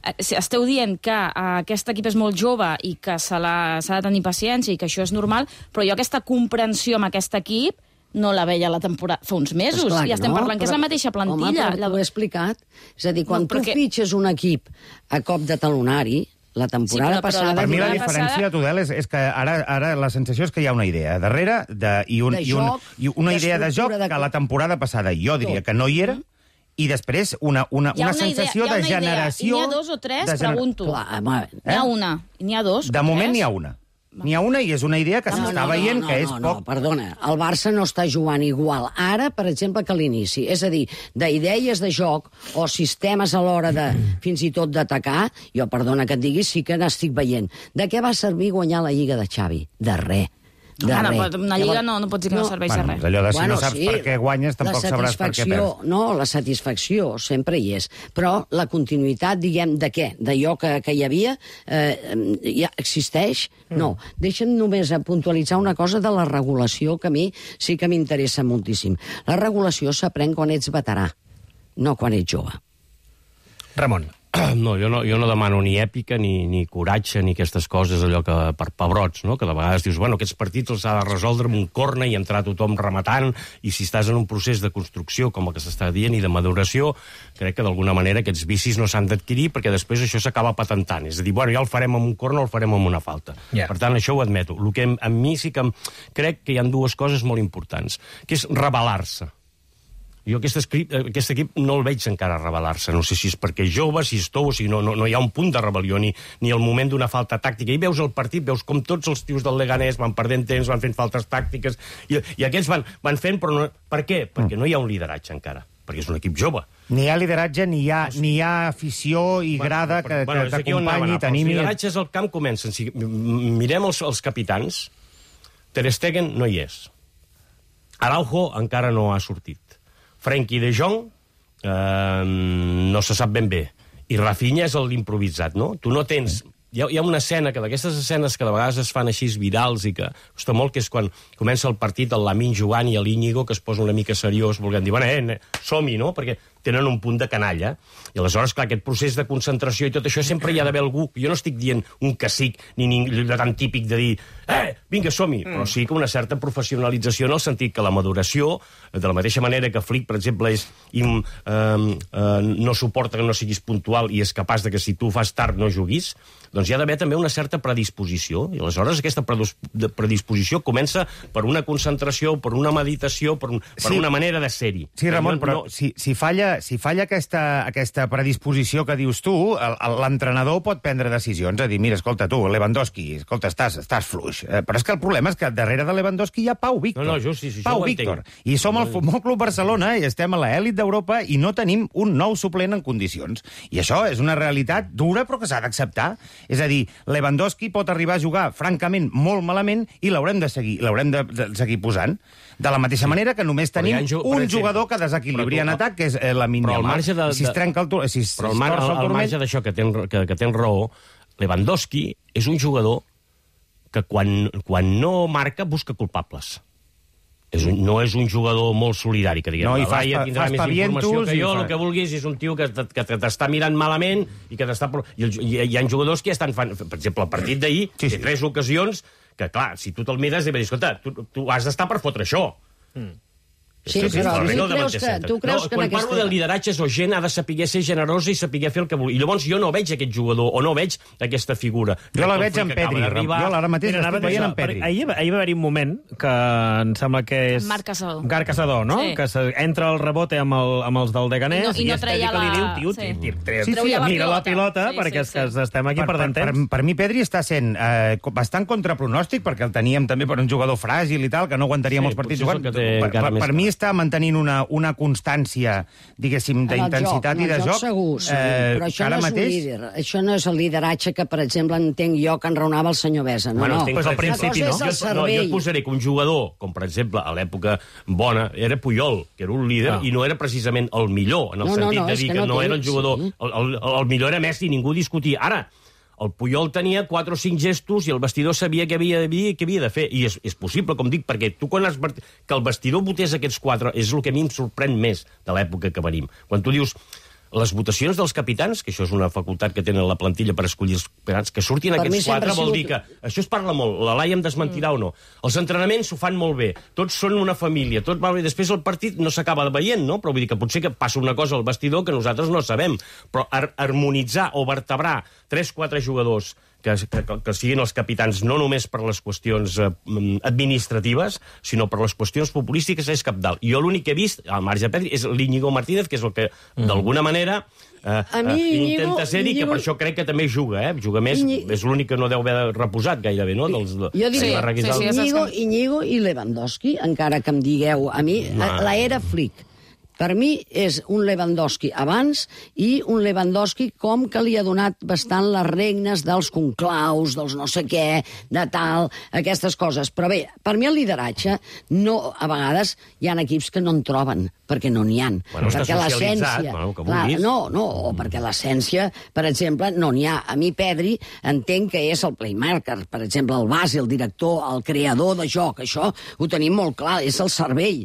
eh, si esteu dient que eh, aquest equip és molt jove i que se l'ha- s'ha de tenir paciència i que això és normal, però jo aquesta comprensió amb aquest equip no la veia la temporada fa uns mesos. Esclar I que estem no, parlant que és però- la mateixa plantilla. Home, però t'ho he explicat. És a dir, quan No, no, tu perquè- fitxes un equip a cop de talonari, la temporada Sí, però- però passada... Per mi la temporada diferència, Tudel, és, és que ara, ara la sensació és que hi ha una idea darrere de, i, un, De i, un, joc, i una idea de joc d'estructura de- que la temporada passada jo diria Tot. que no hi era, i després una, una, Hi ha una una idea- sensació hi ha de una idea. generació... I n'hi ha dos o tres, de gener- pregunto. Clar, home, N'hi ha una, i n'hi ha dos. De o moment tres? n'hi ha una. N'hi ha una i és una idea que s'està veient no, que és no, poc... No, perdona, el Barça no està jugant igual ara, per exemple, que a l'inici. És a dir, d'idees de joc o sistemes a l'hora de, fins i tot d'atacar, jo, perdona que et digui, sí que n'estic veient. De què va servir guanyar la Lliga de Xavi? De res. De Ah, no, res. però una lliga no, no pots dir que no, no serveix Bueno, de res. allò de si no saps per què guanyes, tampoc la sabràs per què satisfacció- perds. No, la satisfacció sempre hi és, però la continuïtat, diguem, de què? D'allò que, que hi havia, eh, ja existeix? No. Deixa'm només a puntualitzar una cosa de la regulació, que a mi sí que m'interessa moltíssim. La regulació s'aprèn quan ets veterà, no quan ets jove. Ramon. No, jo no, jo no demano ni èpica, ni, ni coratge, ni aquestes coses, allò que per pebrots, no? Que de vegades dius, bueno, aquests partits els ha de resoldre amb un corna i entrar tothom rematant, i si estàs en un procés de construcció, com el que s'està dient, i de maduració, crec que d'alguna manera aquests vicis no s'han d'adquirir, perquè després això s'acaba patentant. És a dir, bueno, ja el farem amb un corna o el farem amb una falta. Yeah. Per tant, això ho admeto. El que a mi sí que em... crec que hi ha dues coses molt importants, que és rebel·lar-se. Jo aquest, equip, aquest equip no el veig encara rebel·lar-se. No sé si és perquè és jove, si és tou, o si no, no, no hi ha un punt de rebel·lió, ni, ni el moment d'una falta tàctica. I veus el partit, veus com tots els tios del Leganés van perdent temps, van fent faltes tàctiques, i, i aquests van, van fent, però no... Per què? Perquè no hi ha un lideratge encara, perquè és un equip jove. Ni hi ha lideratge, ni hi ha, ni hi ha afició i grada que, Bueno, que és aquí on anava a t'acompanyi, anar, però els t'animi... lideratges al camp comencen. Si mirem els, els capitans, Ter Stegen no hi és. Araujo encara no ha sortit. Frenkie de Jong eh, no se sap ben bé. I Rafinha és l'improvisat, no? Tu no tens... Hi ha, hi ha una escena, que d'aquestes escenes que de vegades es fan així virals i que costa molt, que és quan comença el partit el Lamine jugant i l'Íñigo, que es posa una mica seriós, volent dir, bueno, eh, som-hi, no? Perquè tenen un punt de canalla. I aleshores, clar, aquest procés de concentració i tot això, sempre hi ha d'haver algú... Jo no estic dient un cacic, ni, ni allò tan típic de dir eh, vinga, som-hi, mm. però sí que una certa professionalització en el sentit que la maduració, de la mateixa manera que Flick, per exemple, és, im, eh, eh, no suporta que no siguis puntual i és capaç de que si tu fas tard no juguis, doncs hi ha d'haver també una certa predisposició. I aleshores aquesta predisposició comença per una concentració, per una meditació, per, un, per sí. una manera de ser-hi. Sí, Ramon, no, però no... si, si falla falla, si falla aquesta, aquesta predisposició que dius tu, l'entrenador pot prendre decisions, a dir, mira, escolta, tu, Lewandowski, escolta, estàs, estàs fluix. Eh, però és que el problema és que darrere de Lewandowski hi ha Pau Víctor. No, no, just, sí, sí, Pau Víctor. I som el Futbol Club Barcelona i estem a l'elit d'Europa i no tenim un nou suplent en condicions. I això és una realitat dura, però que s'ha d'acceptar. És a dir, Lewandowski pot arribar a jugar, francament, molt malament i l'haurem de seguir, l'haurem de, de seguir posant. De la mateixa sí. manera que només tenim un exemple, jugador que desequilibria en atac, que és eh, la Lamine Yamal. Si es trenca el, si es, però al, mar, al, al marge d'això que tens que, que ten raó, Lewandowski és un jugador que quan, quan no marca busca culpables. És un, no és un jugador molt solidari, que diguem, no, la Laia tindrà més informació que jo, fa... el que vulguis, és un tio que, que t'està mirant malament i que t'està... I hi ha jugadors que estan fan... Per exemple, el partit d'ahir, sí, sí. té tres ocasions que, clar, si tu te'l mires, i dir, escolta, tu, tu has d'estar per fotre això. Mm. Sí, sí, però tu creus que, tu creus no, que quan aquesta... parlo de lideratges o gent ha de saber ser generosa i saber fer el que vol. I llavors jo no veig aquest jugador o no veig aquesta figura. Jo la veig en Pedri. Jo ara mateix l'estic veient en Pedri. Ahir, ahir va haver-hi un moment que em sembla que és... Marc Caçador. Marc Caçador, no? Sí. Que se, entra el rebote amb, el, amb els del Leganés i, no, i, no i Estedi que li diu, tio, sí. tio, tio, sí, sí, sí, mira la pilota, sí, perquè sí, sí. estem aquí per, perdent per, temps. per, per mi Pedri està sent eh, bastant contrapronòstic, perquè el teníem també per un jugador fràgil i tal, que no aguantaria molts partits jugant. Per, per, per mi està mantenint una, una constància, diguéssim, d'intensitat i de joc. Segur, sí, eh, però això no, és mateix... líder. Això no és el lideratge que, per exemple, entenc jo que enraonava el senyor Besa. No, bueno, no. Pues al principi, no? Jo, no, jo et posaré que un jugador, com per exemple a l'època bona, era Puyol, que era un líder, ah. i no era precisament el millor, en el no, sentit no, no, de dir que, que no, no era el jugador... Sí. El, el, el millor era Messi, ningú discutia. Ara, el Puyol tenia quatre o cinc gestos i el vestidor sabia què havia de dir i què havia de fer. I és, és possible, com dic, perquè tu quan has... que el vestidor votés aquests quatre és el que a mi em sorprèn més de l'època que venim. Quan tu dius les votacions dels capitans, que això és una facultat que tenen la plantilla per escollir els capitans, que surtin per aquests quatre vol sigut... dir que... Això es parla molt, la Laia em desmentirà mm. o no. Els entrenaments s'ho fan molt bé, tots són una família, tot va bé. Després el partit no s'acaba veient, no? Però vull dir que potser que passa una cosa al vestidor que nosaltres no sabem. Però har harmonitzar o vertebrar tres o quatre jugadors que, que, que siguin els capitans no només per les qüestions eh, administratives, sinó per les qüestions populístiques és cabdal. I jo l'únic que he vist, al marge de Pedri, és l'Íñigo Martínez, que és el que, mm. d'alguna manera, eh, mi, eh, Íñigo, intenta ser-hi, que per això crec que també juga, eh? Juga més, Íñigo... és l'únic que no deu haver reposat gairebé, no? Dels, de, jo diria, sí, sí, sí, Íñigo, Íñigo i Lewandowski, encara que em digueu, a mi, no. l'era Flick. Per mi és un Lewandowski abans i un Lewandowski com que li ha donat bastant les regnes dels conclaus, dels no sé què, de tal, aquestes coses. Però bé, per mi el lideratge, no, a vegades hi ha equips que no en troben, perquè no n'hi ha. Bueno, perquè l'essència... Bueno, clar, no, no, perquè l'essència, per exemple, no n'hi ha. A mi Pedri entenc que és el playmaker, per exemple, el base, el director, el creador de joc, això ho tenim molt clar, és el cervell.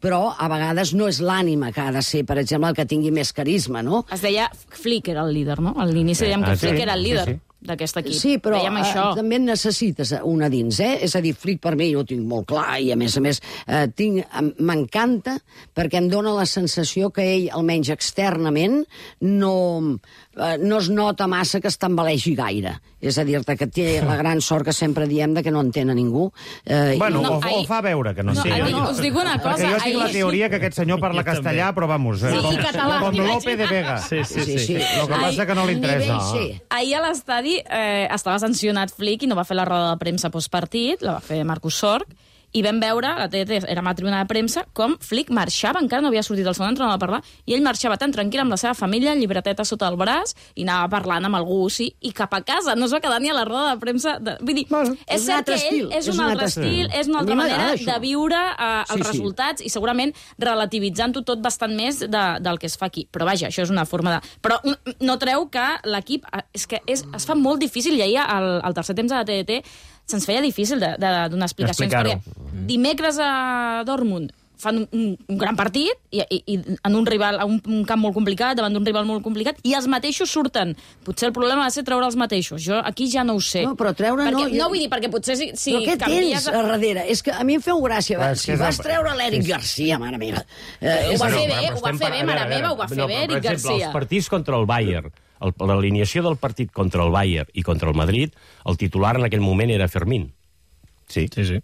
Però a vegades no és l'ànima que ha de ser, per exemple, el que tingui més carisma, no? Es deia Flick era el líder, no? A l'inici dèiem que ah, Flick sí, era el líder sí, sí. d'aquest equip. Sí, però uh, també en necessites una dins, eh? És a dir, Flick per mi jo ho tinc molt clar i, a més a més, uh, tinc, m'encanta perquè em dóna la sensació que ell, almenys externament, no, uh, no es nota massa que es tambalegi gaire. És a dir-te que té la gran sort que sempre diem de que no entén a ningú. Uh, bueno, i... no, o, o fa veure que no, no entén. No, no, us dic una cosa. Perquè jo tinc la teoria que aquest senyor parla castellà, però vamos... Sí, com, català. Com Lope de Vega. Sí, sí, sí. sí. El que passa que no li interessa. Sí. Ahir a l'estadi eh, estava sancionat Flick i no va fer la roda de premsa postpartit, la va fer Marcus Sorg, i vam veure, la T D T era una tribuna de premsa, com Flick marxava, encara no havia sortit el segon entrenador a parlar, i ell marxava tan tranquil amb la seva família, llibreteta sota el braç, i anava parlant amb algú, sí, i cap a casa, no es va quedar ni a la roda de premsa. De... Vull dir, bueno, és, és cert que ell és un altre estil, és una altra manera de viure uh, els sí, resultats, sí. i segurament relativitzant-ho tot bastant més de, del que es fa aquí. Però vaja, això és una forma de... Però no treu que l'equip... És que és, es fa molt difícil, i ahir al, al tercer temps de la T D T se'ns feia difícil de, de donar explicacions, perquè dimecres a Dortmund fan un, un gran partit i, i, i en un rival, un, un camp molt complicat, davant d'un rival molt complicat, i els mateixos surten. Potser el problema ha de ser treure els mateixos. Jo aquí ja no ho sé. No, però treure perquè, no... No vull dir, perquè potser si, si però què canvies... tens a darrere? És que a mi em feu gràcia. Va, si vas treure l'Eric Garcia, mare meva... Eh, ho va fer bé, ho va fer bé, mare meva, ho va fer bé, Eric Garcia. Per exemple, els partits contra el Bayern, l'alineació del partit contra el Bayern i contra el Madrid, el titular en aquell moment era Fermín. Sí, sí, sí.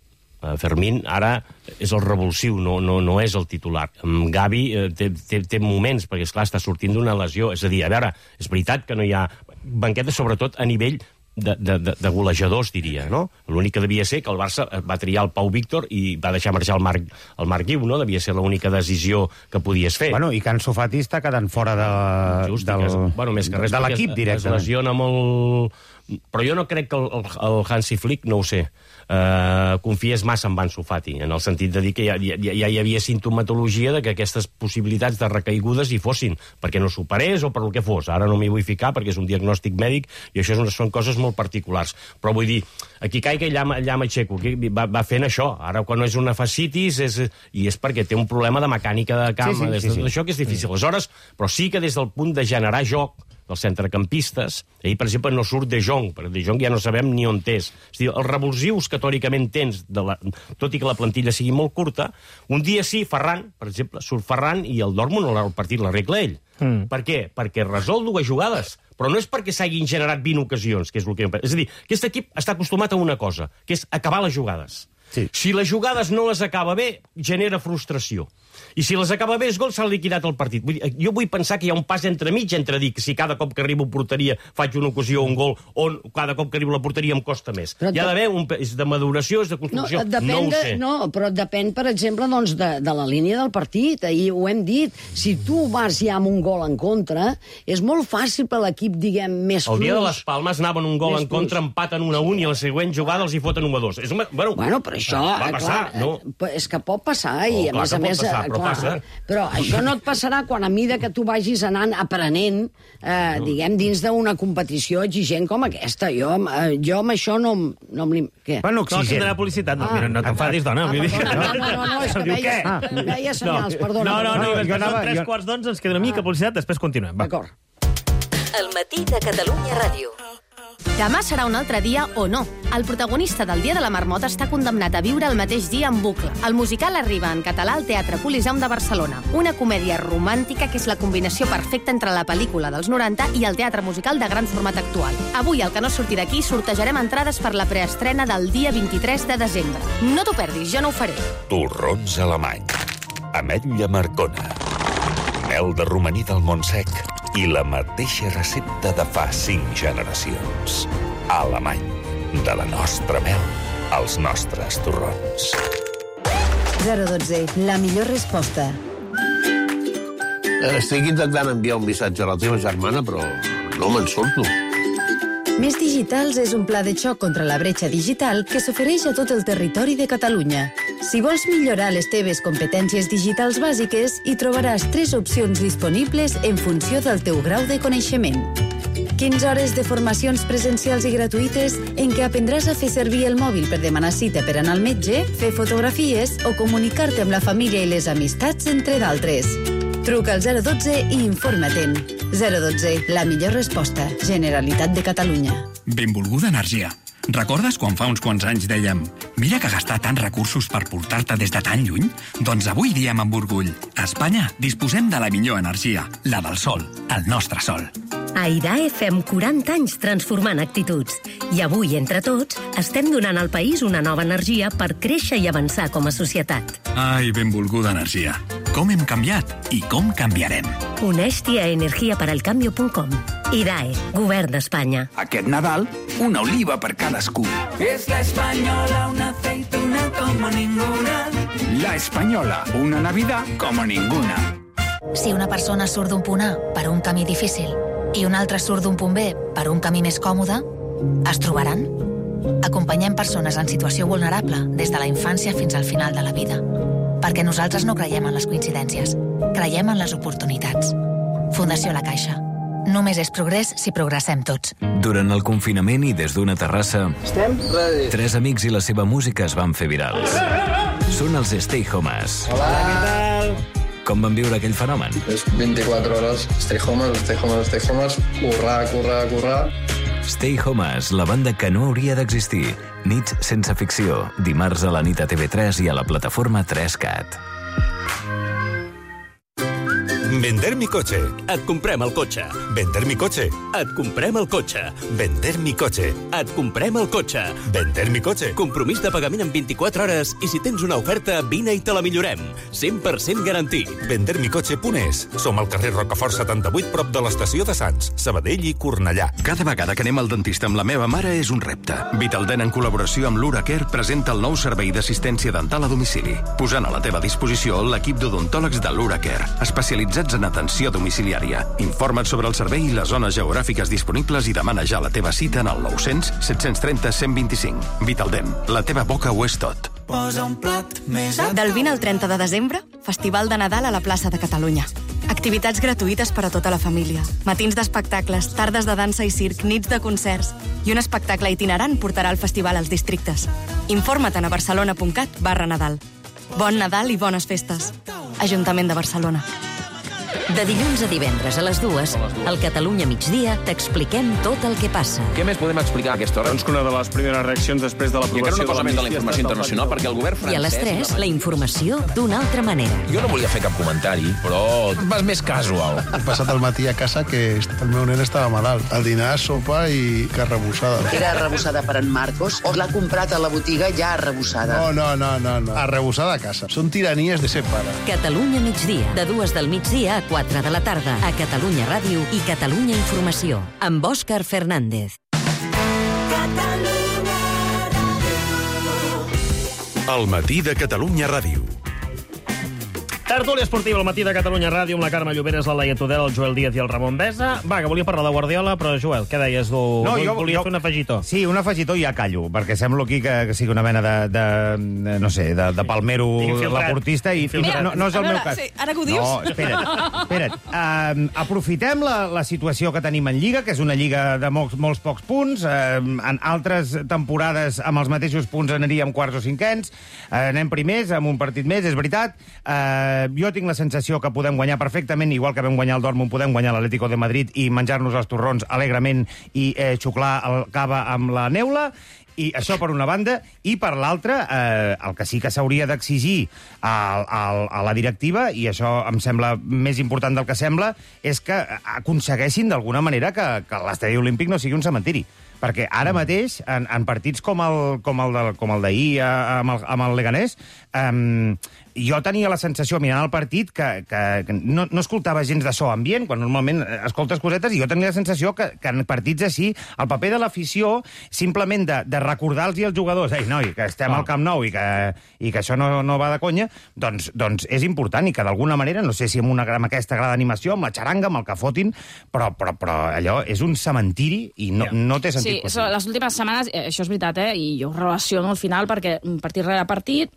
Fermín ara és el revulsiu, no, no, no és el titular. Gavi eh, té, té, té moments, perquè, esclar, està sortint d'una lesió. És a dir, a veure, és veritat que no hi ha banqueta, sobretot a nivell de, de, de, de golejadors, diria, no? L'únic que devia ser que el Barça va triar el Pau Víctor i va deixar marxar el Marc, el Marc Guiu, no? Devia ser l'única decisió que podies fer. Bueno, i que Ansu Fati està quedant fora de, Just, del, es, bueno, més que res, de l'equip directament. Es lesiona molt... Però jo no crec que el, el, el Hansi Flick, no ho sé, eh, confies massa en Ansu Fati, en el sentit de dir que ja, ja, ja hi havia sintomatologia de que aquestes possibilitats de recaigudes hi fossin, perquè no superés o per el que fos. Ara no m'hi vull ficar perquè és un diagnòstic mèdic i això és, són coses molt particulars. Però vull dir, aquí caiga i allà, allà m'aixeco, va, va fent això. Ara, quan no és una fascitis, és, i és perquè té un problema de mecànica de camp, sí, sí, sí, sí. Això que és difícil. Aleshores, però sí que des del punt de generar joc, dels centrecampistes, ahir, per exemple, no surt De Jong, perquè De Jong ja no sabem ni on és. És a dir, els revulsius que teòricament tens, de la, tot i que la plantilla sigui molt curta, un dia sí, Ferran, per exemple, surt Ferran i el Dortmund el partit l'arregla ell. Mm. Per què? Perquè resol dues jugades, però no és perquè s'hagin generat vint ocasions, que és el que... És a dir, aquest equip està acostumat a una cosa, que és acabar les jugades. Sí. Si les jugades no les acaba bé, genera frustració. I si les acaba bé, és gol, s'ha liquidat el partit. Vull dir, jo vull pensar que hi ha un pas entremig entre dir que si cada cop que arribo a porteria faig una ocasió o un gol, o cada cop que arribo a la porteria em costa més. Però hi ha d'haver un... És de maduració, és de construcció, no, no ho sé. De, no, però depèn, per exemple, doncs, de, de la línia del partit. Ahir ho hem dit. Si tu vas ja amb un gol en contra, és molt fàcil per l'equip, diguem, més fluix. El dia de les Palmes anaven un gol en contra, empaten un a un, i a la següent jugada els hi foten un a dos. És una... bueno, bueno, però això... Va passar, clar, no? És que pot passar, i oh, a més a més... Passar, però clar, passa. Però això no et passarà quan a mida que tu vagis anant aprenent, eh, no. diguem, dins d'una competició exigent com aquesta. Jo, eh, jo amb això no, no em... Què? Bueno, no, aquí tindrà publicitat. No, ah. Mira, no t'enfadis, dona. Ah, perdona, no, no, no, no, és que veia, ah. veia senyals, no. perdona. No, no, no, no, no, no tres quarts d'onze, ens queda una mica publicitat, després continuem. D'acord. El matí de Catalunya Ràdio. Demà serà un altre dia o no. El protagonista del Dia de la Marmota està condemnat a viure el mateix dia en bucle. El musical arriba en català al Teatre Coliseum de Barcelona. Una comèdia romàntica que és la combinació perfecta entre la pel·lícula dels noranta i el teatre musical de gran format actual. Avui, al Que no surti d'aquí, sortejarem entrades per la preestrena del dia vint-i-tres de desembre. No t'ho perdis, jo no ho faré. Torrons alemany, ametlla marcona, mel de romaní del Montsec i la mateixa recepta de fa cinc generacions. Alemany, de la nostra mel als nostres torrons. zero dotze, la millor resposta. Estic intentant enviar un missatge a la teva germana, però no me'n surto. Més Digitals és un pla de xoc contra la bretxa digital que s'ofereix a tot el territori de Catalunya. Si vols millorar les teves competències digitals bàsiques, hi trobaràs tres opcions disponibles en funció del teu grau de coneixement. quinze hores de formacions presencials i gratuïtes en què aprendràs a fer servir el mòbil per demanar cita per anar al metge, fer fotografies o comunicar-te amb la família i les amistats, entre d'altres. Truca al zero dotze i informa-te'n. zero dotze, la millor resposta. Generalitat de Catalunya. Benvolguda Energia. Recordes quan fa uns quants anys dèiem mira que gastar tants recursos per portar-te des de tan lluny? Doncs avui diem amb orgull. A Espanya disposem de la millor energia, la del sol, el nostre sol. A I D A E fem quaranta anys transformant actituds. I avui, entre tots, estem donant al país una nova energia per créixer i avançar com a societat. Ai, benvolguda Energia. Com hem canviat i com canviarem. Uneix-t'hi a energia per al cambio punt com. I D A E, Govern d'Espanya. Aquest Nadal, una oliva per cadascú. Es la española, una aceituna como ninguna. La Española, una Navidad como ninguna. Si una persona surt d'un punt A per un camí difícil i un altre surt d'un punt B per un camí més còmode, es trobaran? Acompanyem persones en situació vulnerable des de la infància fins al final de la vida. Perquè nosaltres no creiem en les coincidències, creiem en les oportunitats. Fundació La Caixa. Només és progrés si progressem tots. Durant el confinament i des d'una terrassa, Estem ready. Tres amics i la seva música es van fer virals. Són els Stay Homes. Hola, què tal? Com van viure aquell fenomen? És vint-i-quatre hores, Stay Homes, Stay Homes, Stay Homes, currar, currar, currar. Stay Homes, la banda que no hauria d'existir. Nits sense ficció, dimarts a la nit a T V tres i a la plataforma tres cat. Vender mi coche. Et comprem el cotxe. Vender mi coche. Et comprem el cotxe. Vender mi coche. Et comprem el cotxe. Vender mi coche. Compromís de pagament en vint-i-quatre hores i si tens una oferta, vine i te la millorem. cent per cent garantit. vender mi coche punt es. Som al carrer Rocafort setanta-vuit, prop de l'estació de Sants, Sabadell i Cornellà. Cada vegada que anem al dentista amb la meva mare és un repte. Vitaldent, en col·laboració amb l'Uracare, presenta el nou servei d'assistència dental a domicili, posant a la teva disposició l'equip d'odontòlegs de l'Uracare, especialitzats en atenció domiciliària. Informa't sobre el servei i les zones geogràfiques disponibles i demana ja la teva cita en el nou cents, set-cents trenta, cent vint-i-cinc. Vitaldent, la teva boca ho és tot. Posa un plat més a... Del vint al trenta de desembre, Festival de Nadal a la plaça de Catalunya. Activitats gratuïtes per a tota la família. Matins d'espectacles, tardes de dansa i circ, nits de concerts. I un espectacle itinerant portarà el festival als districtes. Informa't a barcelona punt cat barra Nadal. Bon Nadal i bones festes. Ajuntament de Barcelona. De dilluns a divendres a les dues, al Catalunya migdia, t'expliquem tot el que passa. Què més podem explicar a aquesta hora? Doncs que una de les primeres reaccions després de l'aprovació... I encara una cosa més de la informació internacional, perquè el govern francès... I a les tres, la informació d'una altra manera. Jo no volia fer cap comentari, però vas més casual. He passat el matí a casa que el meu nen estava malalt. El dinar, sopa i carrebussada. Era arrebossada per en Marcos o l'ha comprat a la botiga ja arrebossada? No, no, no, no, no. Arrebossada a casa. Són tiranies de ser pare. Catalunya migdia, de dues del migdia a quatre de la tarda, a Catalunya Ràdio i Catalunya Informació, amb Òscar Fernández. El matí de Catalunya Ràdio. Tertúlia esportiva al matí de Catalunya Ràdio amb la Carme Lloberes, la Laia Tudel, el Joel Díaz i el Ramon Besa. Va, que volia parlar de Guardiola, però Joel, què deies? Tu? No, jo, volia jo, fer un afegitó. Sí, un afegitó i ja callo, perquè semblo aquí que, que sigui una mena de, de no sé, de, de palmero laportista i Mira, no, no és el veure, meu cas. Sí, ara que ho dius... No, espera't, espera't. Um, aprofitem la, la situació que tenim en Lliga, que és una Lliga de molts, molts pocs punts. Um, en altres temporades amb els mateixos punts aniríem quarts o cinquens. Uh, anem primers, amb un partit més, és veritat. Uh, jo tinc la sensació que podem guanyar perfectament, igual que vam guanyar el Dortmund, podem guanyar l'Atlético de Madrid i menjar-nos els torrons alegrement i eh, xuclar el cava amb la neula. I això per una banda, i per l'altra, eh, el que sí que s'hauria d'exigir a, a, a la directiva, i això em sembla més important del que sembla, és que aconsegueixin d'alguna manera que, que l'estadi olímpic no sigui un cementiri. Perquè ara mateix, en, en partits com el, com el, de, com el d'ahir amb, el, amb el Leganés, eh, jo tenia la sensació, mirant el partit, que, que, que no, no escoltava gens de so ambient, quan normalment escoltes cosetes, i jo tenia la sensació que, que en partits així, el paper de l'afició, simplement de, de recordar-los als jugadors, ei, noi, que estem al Camp Nou i que, i que això no, no va de conya, doncs, doncs és important, i que d'alguna manera, no sé si amb, una, amb aquesta grada d'animació, amb la xaranga, amb el que fotin, però, però, però allò és un cementiri i no, no té sentit. Sí, so, les últimes setmanes, eh, això és veritat, eh, i jo ho relaciono al final, perquè partit rere partit,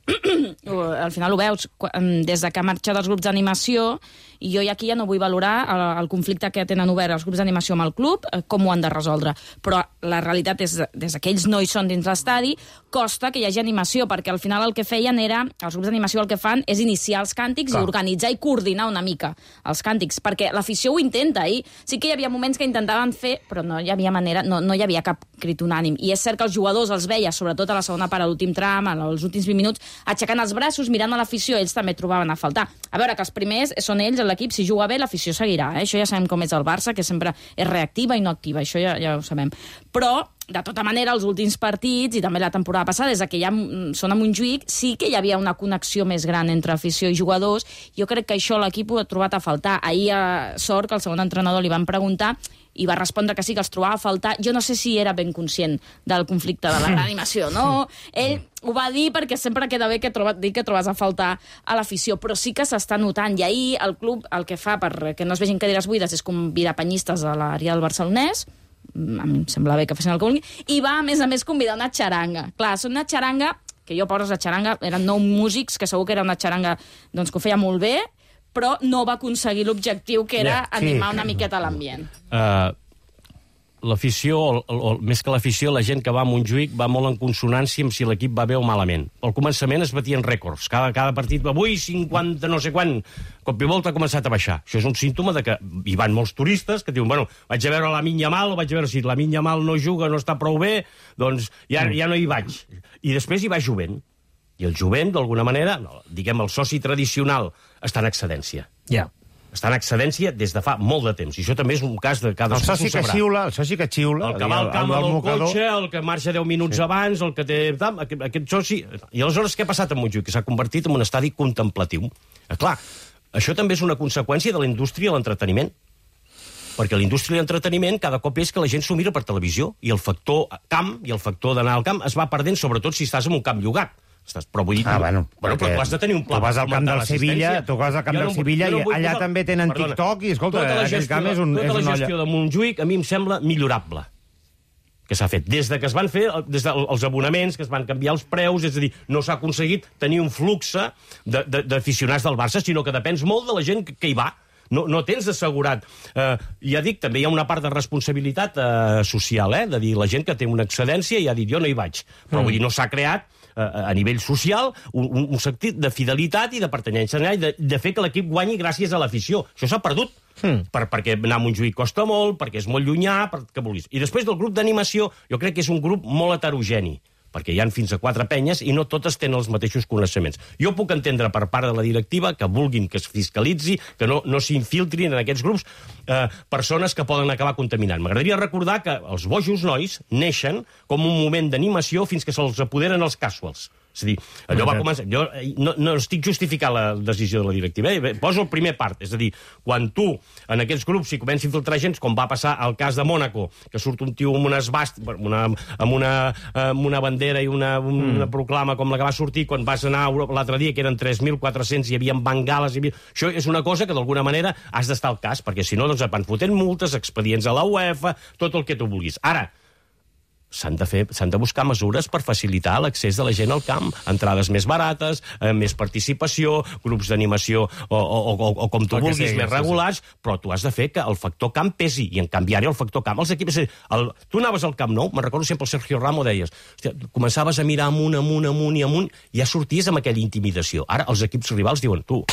al final ho veus, des de que ha marxat dels grups d'animació, i jo aquí ja no vull valorar el, el conflicte que tenen obert els grups d'animació amb el club, eh, com ho han de resoldre. Però la realitat és, des que ells no hi són dins l'estadi, costa que hi hagi animació, perquè al final el que feien era, els grups d'animació el que fan és iniciar els càntics Clar. i organitzar i coordinar una mica els càntics, perquè l'afició ho intenta, i sí que hi havia moments que intentaven fer, però no hi havia manera, no, no hi havia cap crit unànim. I és cert que els jugadors els veia, sobretot a la segona part, a l'últim tram, als últims vint minuts, aixecant els braços, mirant a l'afició, ells també trobaven a faltar. A veure, que els primers són ells, l'equip, si juga bé, l'afició seguirà. Eh? Això ja sabem com és el Barça, que sempre és reactiva i no activa, això ja, ja ho sabem. Però, de tota manera, els últims partits, i també la temporada passada, des que ja són a Montjuïc, sí que hi havia una connexió més gran entre afició i jugadors. Jo crec que això l'equip ho ha trobat a faltar. Ahir, a Sort, que el segon entrenador li van preguntar, i va respondre que sí, que els trobava a faltar. Jo no sé si era ben conscient del conflicte de la reanimació, no? Ell ho va dir perquè sempre queda bé que troba, dir que trobes a faltar a l'afició, però sí que s'està notant. I ahir el club el que fa perquè no es vegin cadires buides és convidar penyistes a l'àrea del Barcelonès, a mi em sembla bé que facin el que vulguin, i va, a més a més, convidar una xaranga. Clar, és una xaranga, que jo poses la xaranga, eren nou músics, que segur que era una xaranga doncs, que ho feia molt bé, però no va aconseguir l'objectiu, que era yeah, sí. animar una miqueta l'ambient. Uh, l'afició, o, o, més que l'afició, la gent que va a Montjuïc va molt en consonància amb si l'equip va bé o malament. Al començament es batien rècords. Cada, cada partit, avui cinquanta no sé quan, cop i volta ha començat a baixar. Això és un símptoma de que hi van molts turistes que diuen, bueno, vaig a veure Lamine Yamal, o vaig a veure si Lamine Yamal no juga, no està prou bé, doncs ja, ja no hi vaig. I després hi va jovent. I el jovent, d'alguna manera, diguem, el soci tradicional, està en excedència. Ja. està en excedència des de fa molt de temps. I això també és un cas de cadascú s'ho sabrà. El soci que xiula, el soci que xiula... El que va al camp amb el cotxe, el que marxa deu minuts sí. abans, el que té... Aquest, aquest soci... I aleshores què ha passat amb Montjuïc? Que s'ha convertit en un estadi contemplatiu. Eh, clar, això també és una conseqüència de la indústria i l'entreteniment. Perquè la indústria i l'entreteniment cada cop és que la gent s'ho mira per televisió i el factor camp i el factor d'anar al camp es va perdent, sobretot si estàs en un camp llogat. Estàs, però vull dir... Ah, bueno, bueno, però tu has de tenir un pla. Tu vas al camp del Sevilla, tu vas al camp del Sevilla i allà també tenen TikTok i, escolta, aquell camp és un... Tota la gestió de Montjuïc a mi em sembla millorable que s'ha fet. Des de que es van fer, des dels abonaments, que es van canviar els preus, és a dir, no s'ha aconseguit tenir un flux d'aficionats del Barça, sinó que depens molt de la gent que hi va. No, no tens assegurat. Eh, ja dic, també hi ha una part de responsabilitat eh, social, eh, de dir, la gent que té una excedència i ha dit, jo no hi vaig. Però mm. vull dir, no s'ha creat a nivell social, un, un, un sentit de fidelitat i de pertinença, i de, de fer que l'equip guanyi gràcies a l'afició. Això s'ha perdut, mm. per, perquè anar a Montjuïc costa molt, perquè és molt llunyà, perquè vulguis. I després del grup d'animació, jo crec que és un grup molt heterogeni, perquè hi ha fins a quatre penyes i no totes tenen els mateixos coneixements. Jo puc entendre per part de la directiva que vulguin que es fiscalitzi, que no, no s'infiltrin en aquests grups eh, persones que poden acabar contaminant. M'agradaria recordar que els bojos nois neixen com un moment d'animació fins que se'ls apoderen els casuals. És a dir, allò va començar... Jo no, no estic justificant la decisió de la directiva, eh? Poso el primer part, és a dir, quan tu, en aquests grups, si comença a infiltrar gent, com va passar al cas de Mònaco, que surt un tio amb una esbast, una, amb, una, amb una bandera i una, una mm. proclama com la que va sortir quan vas anar a Europa l'altre dia, que eren tres mil quatre-cents, hi havia bengales... Hi havia... Això és una cosa que, d'alguna manera, has d'estar al cas, perquè si no, doncs et van fotent multes, expedients a la UEFA, tot el que tu vulguis. Ara, s'han de fer, s'han de buscar mesures per facilitar l'accés de la gent al camp, entrades més barates, eh, més participació, grups d'animació o, o, o, o com tu el vulguis, sí, més regulars, sí. Però tu has de fer que el factor camp pesi, i en canvi ara el factor camp, els equips... El, tu anaves al Camp Nou, me'n recordo sempre el Sergio Ramos, deies, hòstia, començaves a mirar amunt, amunt, amunt i amunt, i ja sorties amb aquella intimidació. Ara els equips rivals diuen, tu,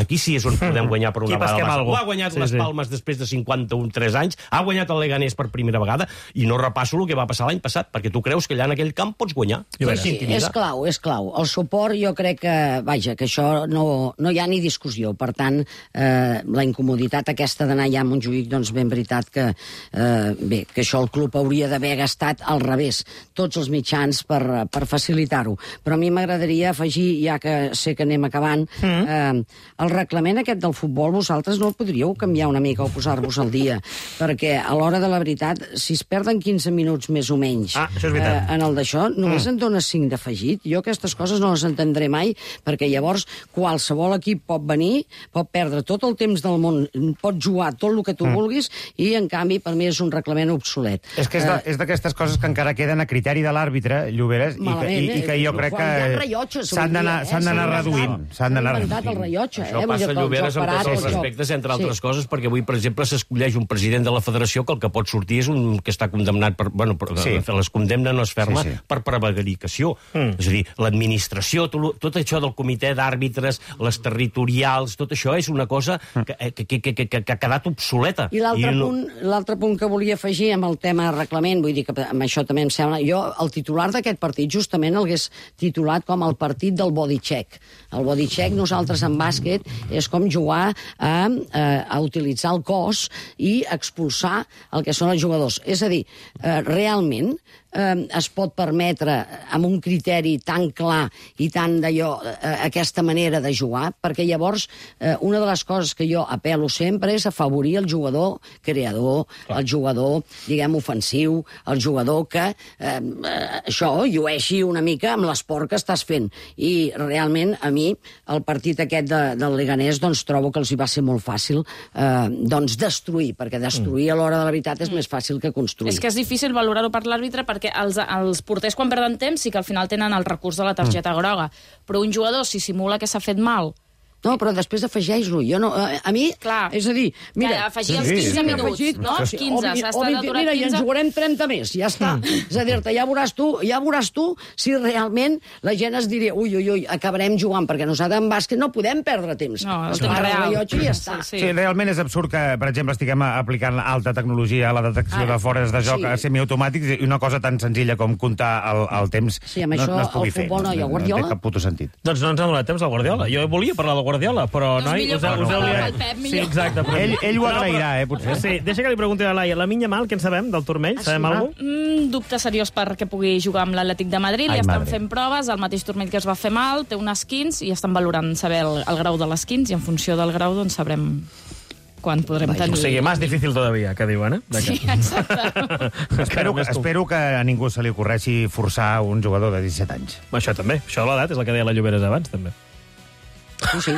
aquí sí és on podem guanyar per una vegada. Ho ha guanyat sí, les Palmes sí. després de cinquanta-un tres anys, ha guanyat el Leganés per primera vegada, i no repasso el que va passar l'any passat, perquè tu creus que allà en aquell camp pots guanyar. Sí, sí, és clau, és clau. El suport jo crec que, vaja, que això no, no hi ha ni discussió. Per tant, eh, la incomoditat aquesta d'anar allà a Montjuïc, doncs ben veritat que, eh, bé, que això el club hauria d'haver gastat al revés, tots els mitjans per, per facilitar-ho. Però a mi m'agradaria afegir, ja que sé que anem acabant, mm. eh, el reglament aquest del futbol, vosaltres no el podríeu canviar una mica o posar-vos al dia, perquè a l'hora de la veritat, si es perden quinze minuts més o menys ah, eh, en el d'això, només mm. en dona cinc d'afegit. Jo aquestes coses no les entendré mai, perquè llavors qualsevol equip pot venir, pot perdre tot el temps del món, pot jugar tot el que tu mm. vulguis, i en canvi per mi és un reglament obsolet. És que és d'aquestes coses que encara queden a criteri de l'àrbitre, Lloberes, i que, i, i que jo crec que s'han d'anar eh? reduint. S'han d'anar reduint. Això passa, Lloberes, amb tots els respectes, entre altres sí. coses, perquè avui, per exemple, s'escolleix un president de la federació que el que pot sortir és un que està condemnat per... Bueno, per, sí. les condemna no es ferma sí, sí. per prevaricació. Mm. És a dir, l'administració, tot, tot això del comitè d'àrbitres, les territorials, tot això és una cosa que, que, que, que, que, que ha quedat obsoleta. I l'altre no... punt, punt que volia afegir amb el tema reglament, vull dir que amb això també em sembla... Jo, el titular d'aquest partit, justament el hagués titulat com el partit del body check. El body check, nosaltres en bàsquet, és com jugar a, a, a utilitzar el cos i expulsar el que són els jugadors. És a dir, eh, realment eh, es pot permetre amb un criteri tan clar i tan d'allò, eh, aquesta manera de jugar, perquè llavors eh, una de les coses que jo apel·lo sempre és afavorir el jugador creador, el jugador, diguem, ofensiu, el jugador que eh, això llueixi una mica amb l'esport que estàs fent. I realment, a mi, el partit aquest de, del Leganés, doncs trobo que els hi va ser molt fàcil eh, doncs destruir, perquè destruir a l'hora de la veritat és mm. més fàcil que construir. És que és difícil valorar-ho per l'àrbitre perquè els, els porters quan perden temps sí que al final tenen el recurs de la targeta mm. groga, però un jugador si simula que s'ha fet mal... No, però després afegeix-lo. Jo no, a, a mi, clar, és a dir, mira... Ja, afegir els quinze sí, minuts, afegit, no? Els quinze, s'ha estat aturat mira, quinze... i ens jugarem trenta més, ja està. Mm. És a dir-te, ja veuràs tu, ja veuràs tu si realment la gent es diria ui, ui, ui, acabarem jugant, perquè nosaltres en bàsquet no podem perdre temps. No, és no. real. I ja està. Sí, sí. sí, realment és absurd que, per exemple, estiguem aplicant alta tecnologia a la detecció ah, de fores de joc sí. semiautomàtics i una cosa tan senzilla com comptar el, el temps sí, amb no, això, no es pugui el futbol fer. No, i el Guardiola? No té cap puto sentit. Doncs no ens ha donat temps al Guardiola. Jo volia parlar del Guardiola, però, Doncs noi, millor us, heu- pel us heu Pep, liat. pel Pep, Sí, millor. exacte. Però... Ell- ell ho No, agrairà, però- eh, potser. Sí, deixa que li pregunti a la Laia. La Minya Mal, què en sabem del turmell? Ah, Sabem sí, alguna cosa? Mm, dubte seriós perquè pugui jugar amb l'Atlètic de Madrid. Ai, Li estan madre. fent proves, el mateix turmell que es va fer mal, té unes quins i estan valorant saber el, el grau de les quins i en funció del grau doncs sabrem quan podrem tenir... O sigui, més difícil todavía, que diuen, eh? De Sí, que- exacte. Espero, que, espero que a ningú se li ocorreixi forçar un jugador de disset anys. Això també. Això de l'edat és el que deia la Lloberes abans, també. Sí, sí.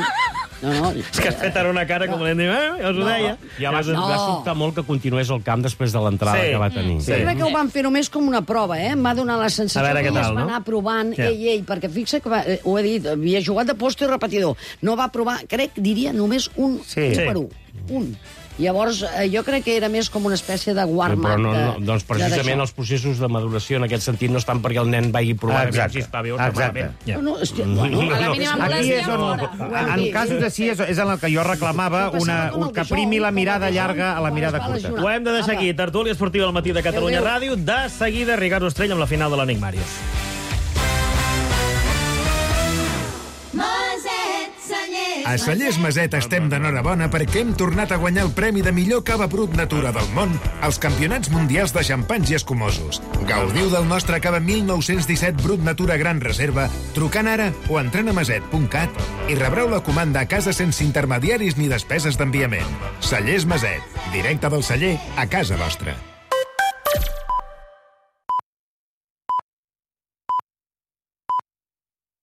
No, no. És que has fet ara una cara com l'hem dit, eh, ja us ho deia. I va, No. va sobtar molt que continués al camp després de l'entrada Sí. que va tenir. Jo crec que ho van fer només com una prova, eh? Em va donar la sensació A veure que què ell es tal, va no? anar provant, Ja. ell, ell, perquè fixa que, va, eh, ho he dit, havia jugat de posto i repetidor. No va provar, crec, diria, només un, Sí. un Sí. per un. Un. Llavors, eh, jo crec que era més com una espècie de Però warm-up. no, no, de- doncs precisament de els processos de maduració en aquest sentit no estan perquè el nen vagi provant Exacte. a veure si està bé o està Exacte. malament. No, no, hosti, No, bueno, no, a la no. mínima Aquí molèstia, és on, fora. en casos així, és, és en el que jo reclamava una, un que primi la mirada llarga a la mirada curta. Ho hem de deixar aquí. Tertúlia esportiva al matí de Catalunya Adéu. Ràdio. De seguida, Ricardo Estrell amb la final de l'Enigmàrius. A Cellers Maset estem d'enhorabona perquè hem tornat a guanyar el premi de millor cava brut natura del món als Campionats Mundials de Xampanys i Escumosos. Gaudiu del nostre cava mil nou-cents disset Brut Natura Gran Reserva trucant ara o entrant a maset punt cat i rebreu la comanda a casa sense intermediaris ni despeses d'enviament. Cellers Maset, directe del celler a casa vostra.